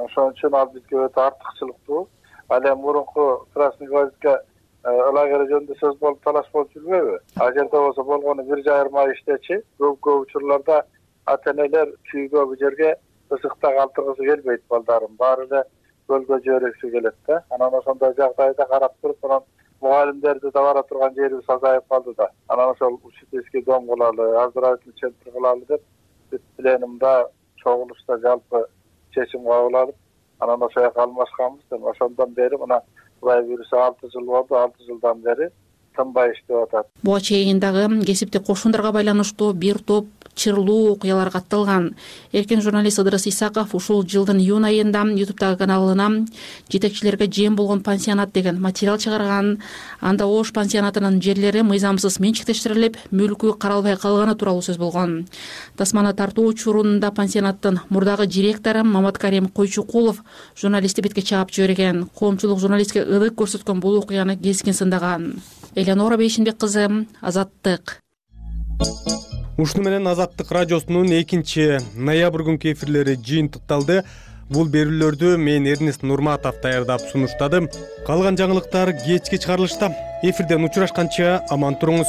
Ошон үчүн ал бизге өтө артыкчылыктуу. Ал эми мурунку Красный Гвоздика лагери жөнүндө сөз болуп талаш болуп жүрбөйбү? Ал жерде болсо болгону бир жарым ай иштечи. Көп көп учурларда ата-энелер чүйгө бу жерге ысыкта калтыргысы келбейт балдарын. Баары эле көлгө жибергиси келет да. Анан ошондой жагдайда карап туруп, анан мугалимдерди да бара турган жерибиз азайып калды да. Анан ошол учительский дом кылалы, оздоровительный центр кылалы деп бүт пленумда чогулушта жалпы чечим кабыл алып, анан ошол жака алмашканбыз. Ошондон бери мына Кудай буйруса алты жыл болду, алты жылдан бери тынбай иштеп атат. Буга чейин дагы кесиптик кошундарга байланыштуу бир топ чырлуу окуялар катталган. Эркен журналист Ыдырыс Исаков ушул жылдын июнь айында ютубтагы каналына жетекчилерге жем болгон пансионат деген материал чыгарган. Анда Ош пансионатынын жерлери мыйзамсыз менчиктештирилип, мүлкү каралбай калганы тууралуу сөз болгон. Тасманы тартуу учурунда пансионаттын мурдагы директору Маматкарим Койчукулов журналистти бетке чаап жиберген. Коомчулук журналистке ылык көрсөткөн бул окуяны кескин сындаган. Эленора Бейшинбек кызы, Азаттык. Ушуну менен Азаттык радиосунун экинчи ноябрь күнкү эфирлери жыйынтыкталды. Бул берүүлөрдү мен Эрнест Нурматов даярдап сунуштадым. Калган жаңылыктар кечки чыгарылышта. Эфирден учурашканча аман туруңуз.